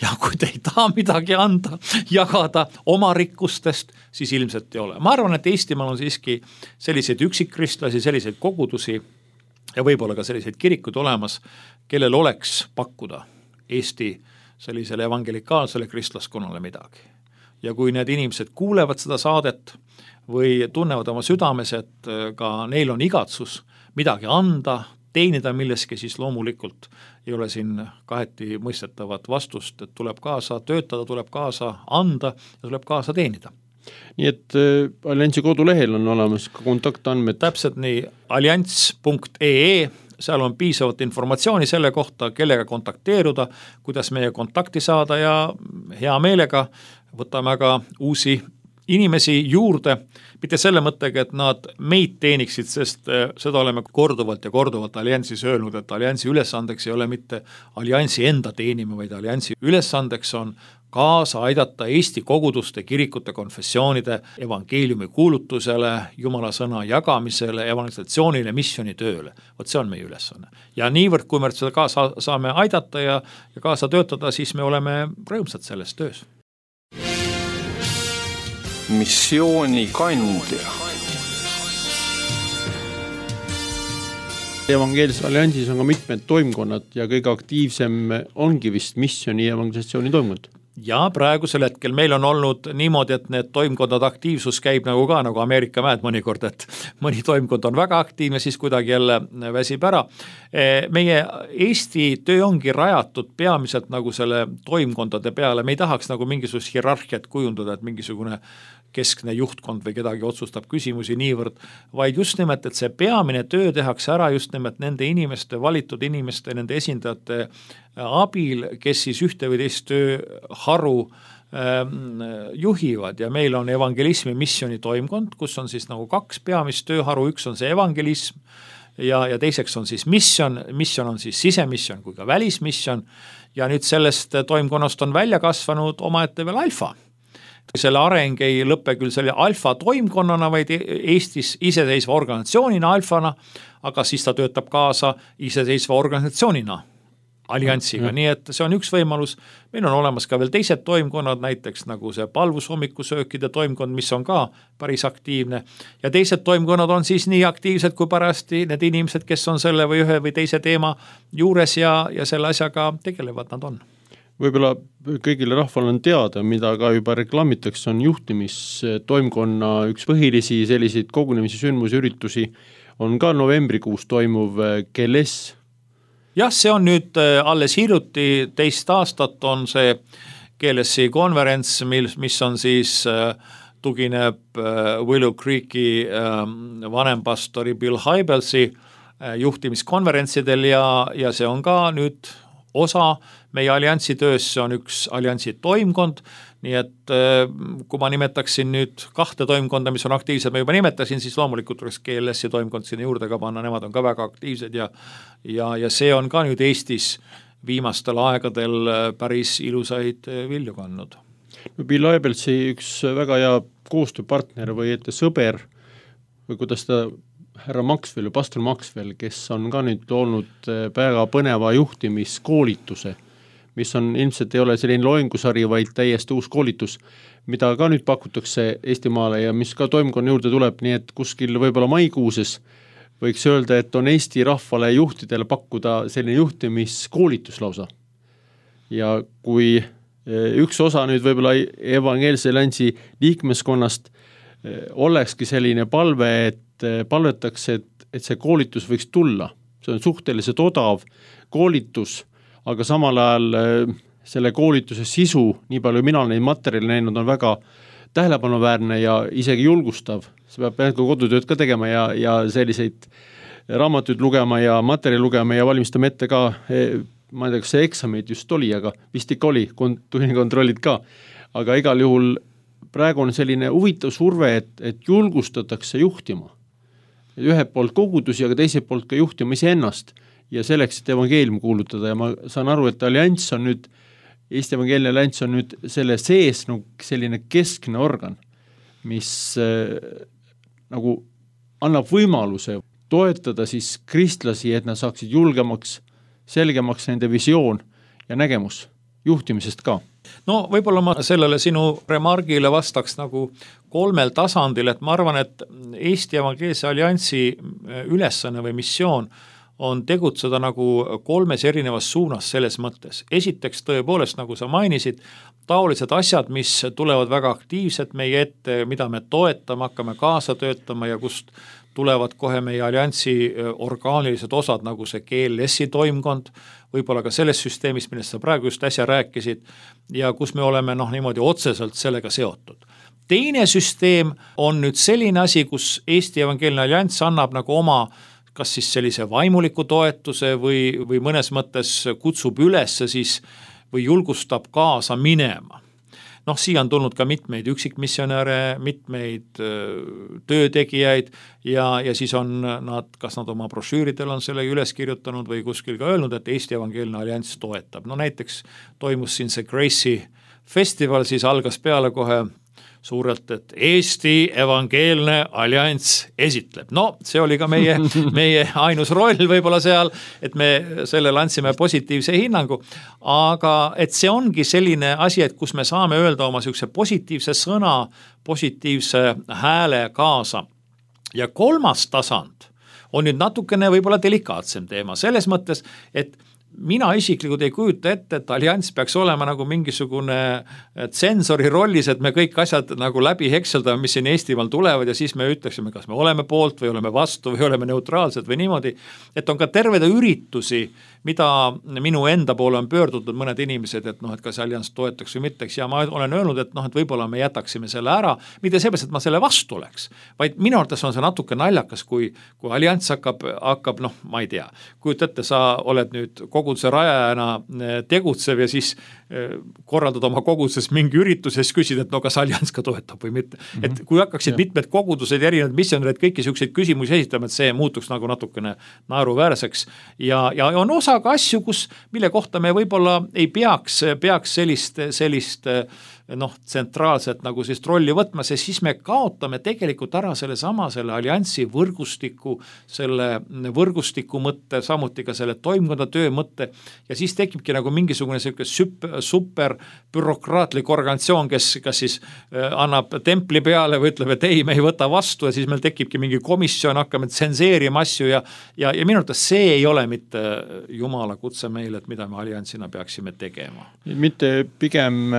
Ja kui te ei taha midagi anda, jagada oma rikkustest, siis ilmselt ei ole. Ma arvan, et Eestimaal on siiski selliseid üksikkristlasi, selliseid kogudusi ja võib-olla ka selliseid kirikud olemas, kellel oleks pakkuda Eesti sellisele evangelikaalsele kristlaskonnale midagi. Ja kui need inimesed kuulevad seda saadet või tunnevad oma südames, et ka neil on igatsus midagi anda, teenida milleski, siis loomulikult ei ole siin kaheti mõistetavat vastust, et tuleb kaasa töötada, tuleb kaasa anda ja tuleb kaasa teenida. Nii et äh, alliansi kodulehel on olemas ka kontaktandmed. Täpselt nii, allianss punkt e e, seal on piisavat informatsiooni selle kohta, kellega kontakteeruda, kuidas meie kontakti saada ja hea meelega võtame ka uusi inimesi juurde, mitte selle mõttega, et nad meid teeniksid, sest seda oleme korduvalt ja korduvalt alliansis öelnud, et alliansi ülesandeks ei ole mitte alliansi enda teenima, vaid alliansi ülesandeks on kaasa aidata Eesti koguduste, kirikute, konfessioonide, evangeeliumi kuulutusele, Jumala sõna jagamisele, evangelisatsioonile, missioonitööle. Vot see on meie ülesanne. Ja niivõrd, kui me seda kaasa saame aidata ja, ja kaasa töötada, siis me oleme rõõmsad selles töös. Missioonikandja. Evangeelses alliansis on ka mitmed toimkonnad ja kõige aktiivsem ongi vist missiooni ja evangelisatsiooni toimkond. Ja praegusel hetkel meil on olnud niimoodi, et need toimkondad aktiivsus käib nagu ka nagu Ameerika mäed mõnikord, et mõni toimkond on väga aktiivne, siis kuidagi jälle väsib ära. Meie Eesti töö ongi rajatud peamiselt nagu selle toimkondade peale, me ei tahaks nagu mingisugust hierarhiat kujundada, et mingisugune keskne juhtkond või kedagi otsustab küsimusi niivõrd, vaid just nimelt, et see peamine töö tehakse ära just nimelt nende inimeste, valitud inimeste, nende esindajate abil, kes siis ühte või teist tööharu juhivad ja meil on evangelismi missiooni toimkond, kus on siis nagu kaks peamist tööharu, üks on see evangelism ja, ja teiseks on siis missioon, missioon on siis sisemissioon kui ka välismissioon ja nüüd sellest toimkonnast on välja kasvanud omaette veel alfa. Selle areng ei lõppe küll selle alfa toimkonnana, vaid Eestis iseseisva organisatsioonina alfana, aga siis ta töötab kaasa iseseisva organisatsioonina alliansiga, nii et see on üks võimalus. Meil on olemas ka veel teised toimkonnad, näiteks nagu see palvushommikusöökide toimkond, mis on ka päris aktiivne ja teised toimkonnad on siis nii aktiivsed kui parasti need inimesed, kes on selle või ühe või teise teema juures ja, ja selle asjaga tegelevad nad on. Võib-olla kõigile rahval on teada, mida ka juba reklaamitakse, on juhtimistoimkonna üks põhilisi selliseid kogunemisi, sündmusi, üritusi on ka novembrikuus toimuv G L S. Jah, see on nüüd alles hiljuti teist aastat on see G L S-i konverents, mis on siis tugineb Willow Creeki vanempastori Bill Hybelsi juhtimiskonverentsidel ja, ja see on ka nüüd osa meie alliansi töös, see on üks alliansi toimkond, nii et kui ma nimetaksin nüüd kahte toimkonda, mis on aktiivsed, ma juba nimetasin, siis loomulikult oleks G L S-i toimkond sinna juurde ka panna, nemad on ka väga aktiivsed ja, ja, ja see on ka nüüd Eestis viimastel aegadel päris ilusaid vilju kandnud. Bill Hybelsi üks väga hea koostööpartner või ette sõber või kuidas ta härra Maxwell, pastor Maxwell, kes on ka nüüd olnud väga põneva juhtimiskoolituse, mis on ilmselt ei ole selline loengusari, vaid täiesti uus koolitus, mida ka nüüd pakutakse Eestimaale ja mis ka toimkonna juurde tuleb, nii et kuskil võib-olla maikuuses võiks öelda, et on Eesti rahvale juhtidele pakkuda selline juhtimiskoolitus lausa. Ja kui üks osa nüüd võib-olla evangeelse alliansi liikmeskonnast olekski selline palve, et palvetakse, et, et see koolitus võiks tulla. See on suhteliselt odav koolitus, aga samal ajal selle koolituse sisu, nii palju mina neid materjali näinud, on väga tähelepanuväärne ja isegi julgustav. See peab kodutööd ka tegema ja, ja selliseid raamatuid lugema ja materjali lugema ja valmistama ette ka, ma ei tea, kas see eksameid just oli, aga vist ikka oli, tunnikontrollid ka. Aga igal juhul praegu on selline huvitav surve, et, et julgustatakse juhtima. Ühe poolt kogudusi, aga teise poolt ka juhtima ise ennast ja selleks, et evangeelium kuulutada ja ma saan aru, et allianss on nüüd, Eesti evangeelne allianss on nüüd selle sees nagu selline keskne organ, mis äh, nagu annab võimaluse toetada siis kristlasi, et nad saaksid julgemaks, selgemaks nende visioon ja nägemus juhtimisest ka. No võib-olla ma sellele sinu remargile vastaks nagu kolmel tasandil, et ma arvan, et Eesti evangeelse alliansi ülesanne või missioon on tegutseda nagu kolmes erinevas suunas selles mõttes. Esiteks tõepoolest, nagu sa mainisid, taolised asjad, mis tulevad väga aktiivselt meie ette, mida me toetame, hakkame kaasa töötama ja kust tulevad kohe meie alliansi orgaanilised osad, nagu see G L S-i toimkond, võib-olla ka selles süsteemis, millest sa praegu just äsja rääkisid, ja kus me oleme noh, niimoodi otseselt sellega seotud. Teine süsteem on nüüd selline asi, kus Eesti evangeelne allianss annab nagu oma kas siis sellise vaimuliku toetuse või, või mõnes mõttes kutsub üles siis või julgustab kaasa minema. noh, siia on tulnud ka mitmeid üksikmissionäre, mitmeid töötegijaid ja, ja siis on nad, kas nad oma brošüüridel on selle üles kirjutanud või kuskil ka öelnud, et Eesti Evangeelne Allianss toetab. No näiteks toimus siin see Grace'i festival, siis algas peale kohe suurelt, et Eesti Evangeelne Allianss esitleb. No see oli ka meie, meie ainus roll võib-olla seal, et me sellele andsime positiivse hinnangu, aga et see ongi selline asi, et kus me saame öelda oma sellise positiivse sõna, positiivse hääle kaasa. Ja kolmas tasand on nüüd natukene võib-olla delikaatsem teema, selles mõttes, et mina isiklikult ei kujuta ette, et allianss peaks olema nagu mingisugune tsensori rollis, et me kõik asjad nagu läbi hekseldame, mis siin Eestimaal tulevad ja siis me ütleksime, kas me oleme poolt või oleme vastu või oleme neutraalsed või niimoodi, et on ka tervede üritusi, mida minu enda poole on pöördutud mõned inimesed, et noh, et kas allianss toetaks või mitte, ja ma olen öelnud, et noh, et võib-olla me jätaksime selle ära, mitte seepärast, et ma selle vastu oleks, vaid minu arvates on see natuke naljakas, kui, kui allianss hakkab, hakkab, noh, ma ei tea, kujuta ette, sa oled nüüd koguduse rajajana tegutsev ja siis korraldad oma koguduses mingi üritus ja siis küsid, et no kas allianss ka toetab või mitte. Mm-hmm. Et kui hakkaksid ja. mitmed kogudused ja erinevad missionärid kõiki selliseid küsimusi esitama, et see muutuks nagu natukene naeruväärseks ja, ja on osa ka asju, kus, mille kohta me võib-olla ei peaks, peaks sellist, sellist noh, tsentraalset nagu siis rolli võtma, sest siis me kaotame tegelikult ära selle sama, selle alliansi võrgustiku, selle võrgustiku mõtte, samuti ka selle toimkonda töö mõtte ja siis tekibki nagu mingisugune selline super, super bürokraatlik organisatsioon, kes kas siis annab templi peale või ütleb, et ei, me ei võta vastu ja siis meil tekibki mingi komisjon, hakkame tsenseerima asju ja, ja, ja minu arvates see ei ole mitte Jumala kutse meile, et mida me alliansina peaksime tegema. Mitte pigem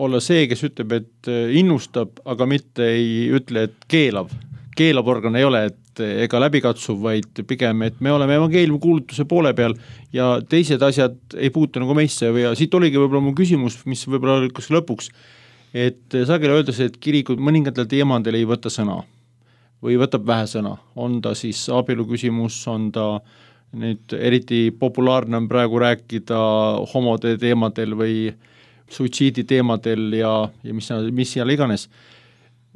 olla see, kes ütleb, et innustab, aga mitte ei ütle, et keelab. Keelab organ ei ole, et ega läbikatsuv, vaid pigem, et me oleme evangeeliumi kuulutuse poole peal ja teised asjad ei puutu nagu meisse ja siit oligi võib-olla mu küsimus, mis võib-olla oli kas lõpuks, et sageli öeldakse, et kirikud mõningatel teemadel ei võta sõna või võtab vähe sõna. On ta siis abielu küsimus, on ta nüüd eriti populaarne on praegu rääkida homode teemadel või suitsiidi teemadel ja, ja mis, mis seal iganes.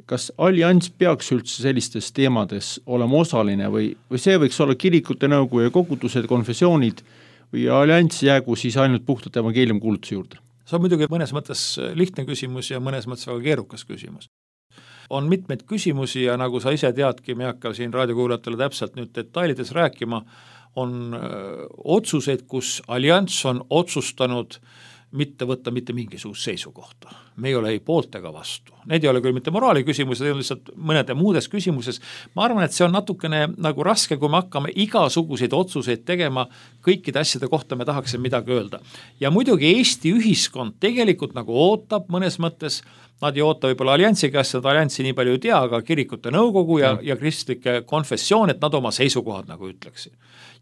Kas allianss peaks üldse sellistes teemades olema osaline või, või see võiks olla kirikute nõukogu ja kogudused, konfessioonid või allianss jäägu siis ainult puhtalt evangeeliumi kuulutuse juurde? See on muidugi mõnes mõttes lihtne küsimus ja mõnes mõttes väga keerukas küsimus. On mitmeid küsimusi ja nagu sa ise teadki, me hakka siin raadiokuulajatele täpselt nüüd detailides rääkima, on öö, otsuseid, kus allianss on otsustanud mitte võtta mitte mingisugust seisukohta. Me ei ole ei poolt ega vastu. Need ei ole küll mitte moraali küsimus, need on lihtsalt mõnede muudes küsimuses. Ma arvan, et see on natukene nagu raske, kui me hakkame igasuguseid otsuseid tegema, kõikide asjade kohta me tahaksime midagi öelda. Ja muidugi Eesti ühiskond tegelikult nagu ootab mõnes mõttes, nad ei oota võib-olla alliansi käest, nad alliansi nii palju ei tea, aga kirikute nõukogu ja, ja kristlike konfessioon, et nad oma seisukohad nagu ütleksid.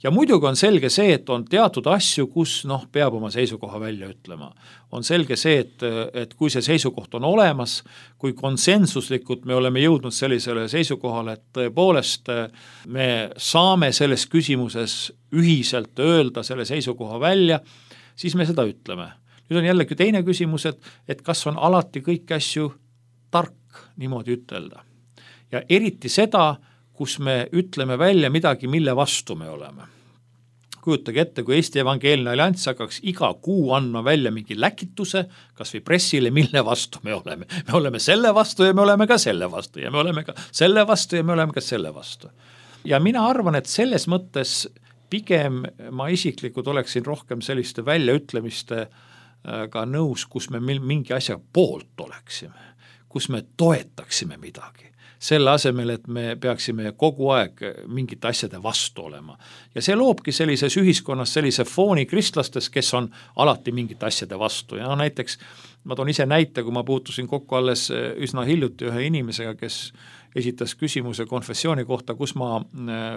Ja muidugi on selge see, et on teatud asju, kus noh, peab oma seisukoha välja ütlema. On selge see, et, et kui see seisukoht on olemas, kui konsensuslikult me oleme jõudnud sellisele seisukohale, et tõepoolest me saame selles küsimuses ühiselt öelda selle seisukoha välja, siis me seda ütleme. Nüüd on jällegi teine küsimus, et, et kas on alati kõik asju tark niimoodi ütelda. Ja eriti seda, kus me ütleme välja midagi, mille vastu me oleme. Kujutage ette, kui Eesti Evangeelne Allianss hakkaks iga kuu andma välja mingi läkituse, kas või pressile, mille vastu me oleme. Me oleme selle vastu ja me oleme ka selle vastu ja me oleme ka selle vastu ja me oleme ka selle vastu. Ja mina arvan, et selles mõttes pigem ma isiklikult oleksin rohkem selliste väljaütlemiste ka nõus, kus me mingi asja poolt oleksime, kus me toetaksime midagi. Selle asemel, et me peaksime kogu aeg mingite asjade vastu olema. Ja see loobki sellises ühiskonnas sellise fooni kristlastes, kes on alati mingite asjade vastu. Ja no näiteks, ma toon ise näite, kui ma puutusin kokku alles üsna hiljuti ühe inimesega, kes esitas küsimuse konfessiooni kohta, kus ma,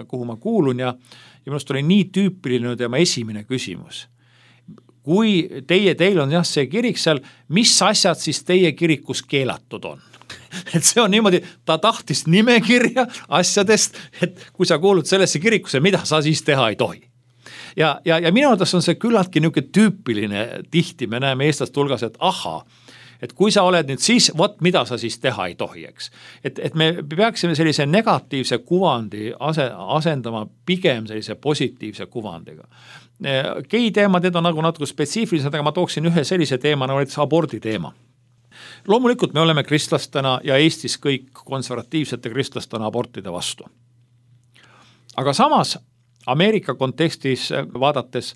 kuhu ma kuulun ja, ja minust oli nii tüüpiline tema esimene küsimus. Kui teie, teil on jah see kirik seal, mis asjad siis teie kirikus keelatud on? Et see on niimoodi, ta tahtis nimekirja asjadest, et kui sa kuulud sellesse kirikusse, mida sa siis teha ei tohi. Ja, ja, ja minu arvates on see küllaltki niisugune tüüpiline tihti, me näeme eestlaste hulgas, et aha, et kui sa oled nüüd siis, vot mida sa siis teha ei tohi, eks. Et, et me peaksime sellise negatiivse kuvandi ase, asendama pigem sellise positiivse kuvandiga. Gei teemad, need on nagu natuke spetsiifilised, aga ma tooksin ühe sellise teema, nagu näiteks abordi teema. Loomulikult me oleme kristlastena ja Eestis kõik konservatiivsete kristlastena abortide vastu. Aga samas Ameerika kontekstis vaadates,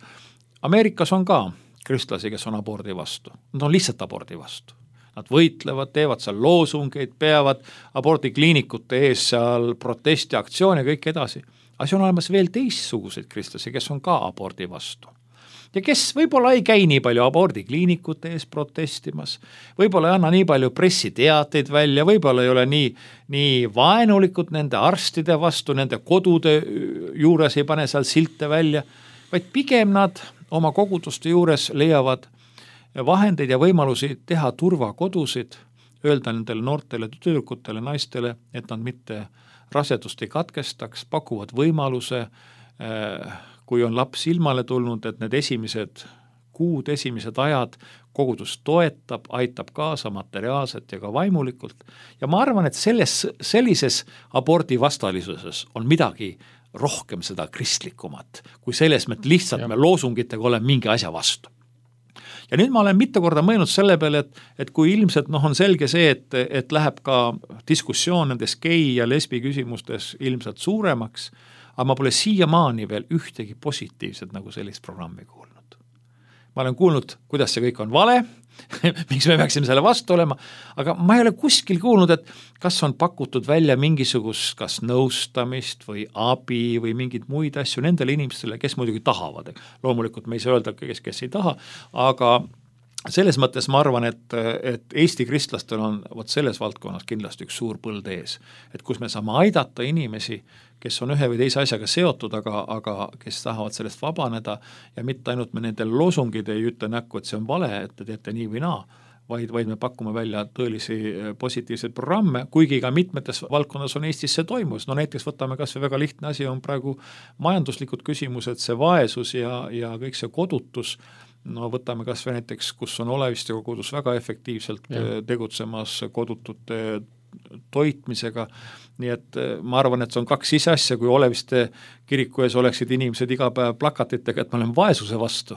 Ameerikas on ka kristlasi, kes on abordi vastu. Nad on lihtsalt abordi vastu. Nad võitlevad, teevad seal loosungeid, peavad abordikliinikute ees seal protestiaktsioone ja kõik edasi. Aga see on olemas veel teistsuguseid kristlasi, kes on ka abordi vastu. Ja kes võib-olla ei käi nii palju abordikliinikute ees protestimas, võib-olla ei anna nii palju pressiteateid välja, võib-olla ei ole nii, nii vaenulikud nende arstide vastu, nende kodude juures ei pane seal silte välja, vaid pigem nad oma koguduste juures leiavad vahendeid ja võimalusi teha turvakodusid, öelda nendele noortele tüdrukutele, naistele, et nad mitte rasedust ei katkestaks, pakuvad võimaluse, kui on laps ilmale tulnud, et need esimesed kuud, esimesed ajad kogudus toetab, aitab kaasa materiaalselt ja ka vaimulikult. Ja ma arvan, et selles, sellises abordi vastalisuses on midagi rohkem seda kristlikumat, kui selles me lihtsalt ja. me loosungitega oleme mingi asja vastu. Ja nüüd ma olen mitu korda mõelnud selle peale, et, et kui ilmselt noh, on selge see, et, et läheb ka diskussioon nendes gei ja lesbi küsimustes ilmselt suuremaks, aga ma pole siiamaani veel ühtegi positiivset nagu sellist programmi kuulnud. Ma olen kuulnud, kuidas see kõik on vale, miks me peaksime selle vastu olema, aga ma ei ole kuskil kuulnud, et kas on pakutud välja mingisugust kas nõustamist või abi või mingid muid asju nendele inimestele, kes muidugi tahavad. Loomulikult me ei saa öelda, kes, kes ei taha, aga selles mõttes ma arvan, et, et Eesti kristlastel on vot selles valdkonnas kindlasti üks suur põld ees, et kus me saame aidata inimesi, kes on ühe või teise asjaga seotud, aga, aga kes tahavad sellest vabaneda ja mitte ainult me nendel loosungid ei ütle näkku, et see on vale, et te teete nii või naa, vaid, vaid me pakume välja tõelisi positiivseid programme, kuigi ka mitmetes valdkonnas on Eestis see toimus. No näiteks võtame kas või väga lihtne asi on praegu majanduslikud küsimused, see vaesus ja, ja kõik see kodutus. No võtame kas või näiteks, kus on Oleviste kogudus väga efektiivselt ja. tegutsemas kodutute toitmisega, nii et ma arvan, et see on kaks ise asja, kui Oleviste kiriku ees oleksid inimesed iga päev plakatitega, et ma olen vaesuse vastu,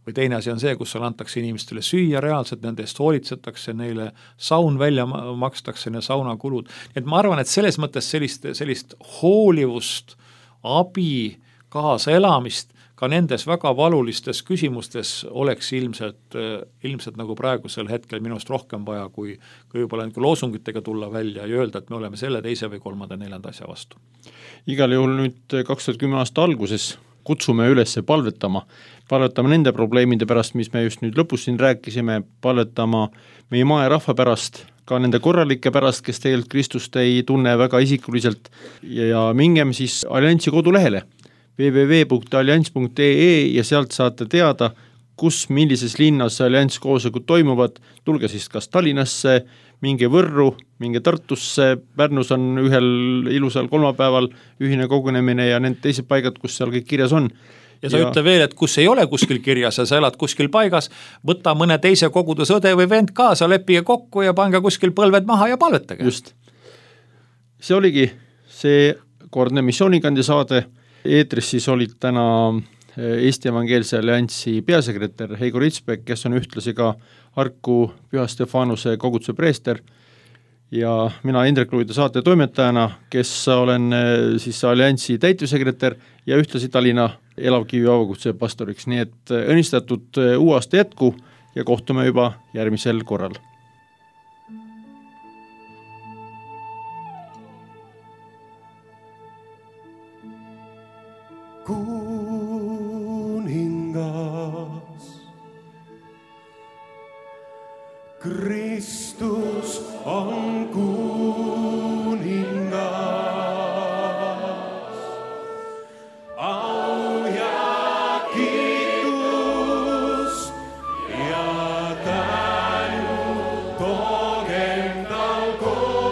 või teine asi on see, kus seal antakse inimestele süüa reaalselt, nende eest hoolitsetakse, neile saun välja makstakse ja saunakulud, et ma arvan, et selles mõttes sellist, sellist hoolivust, abi, kaasaelamist ka nendes väga valulistes küsimustes oleks ilmselt, ilmselt nagu praegusel hetkel minust rohkem vaja, kui, kui võib-olla loosungitega tulla välja ja öelda, et me oleme selle teise või kolmanda neljanda asja vastu. Igal juhul nüüd kaks tuhat kümme aasta alguses kutsume üles palvetama, palvetama nende probleemide pärast, mis me just nüüd lõpus siin rääkisime, palvetama meie maa ja rahva pärast, ka nende korralike pärast, kes tegelikult Kristust ei tunne väga isikuliselt ja mingem siis Alliansi kodulehele w w w punkt allianss punkt e e ja sealt saate teada, kus, millises linnas Alliansi koosolekud toimuvad, tulge siis kas Tallinnasse, minge Võrru, minge Tartusse, Pärnus on ühel ilusal kolmapäeval ühine kogunemine ja need teised paigad, kus seal kõik kirjas on. Ja sa ja... ütle veel, et kus ei ole kuskil kirjas ja sa elad kuskil paigas, võta mõne teise kogudus õde või vend kaasa, leppige kokku ja pange kuskil põlved maha ja palvetage. Just. See oligi see kordne missioonikandi saade. Eetris siis olid täna Eesti Evangeelse Alliansi peasekretär Heigo Ritsbek, kes on ühtlasi ka Harku Püha Stefanuse koguduse preester ja mina Indrek Luide saate toimetajana, kes olen siis Alliansi täitevsekretär ja ühtlasi Tallinna Elavkivi avakutse pastoriks, nii et õnnistatud uue aasta jätku ja kohtume juba järgmisel korral. Kuningas, Kristus on kuningas, au ja kiitus ja tänu toogem tal koos.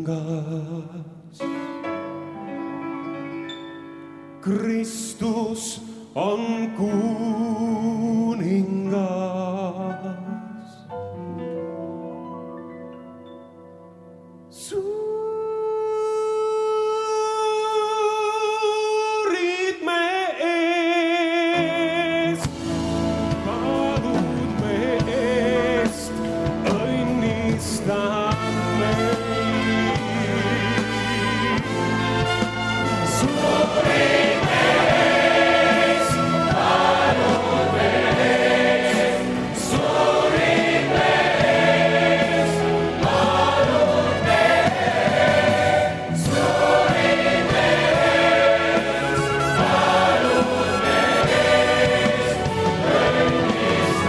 kuningas. Kristus on kuningas. Suurid me ees, palud me eest, õnnistame. Suurid me ees, palud me eest, suurid me ees, palud me eest, suurid me ees, palud me eest, õnnistame.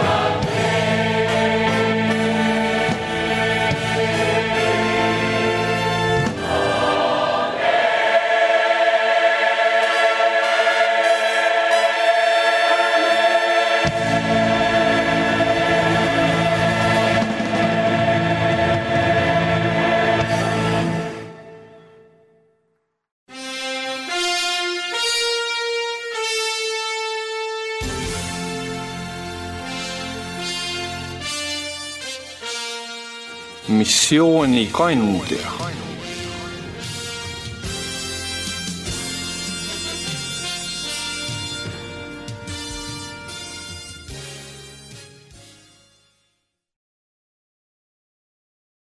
missiooni kandja.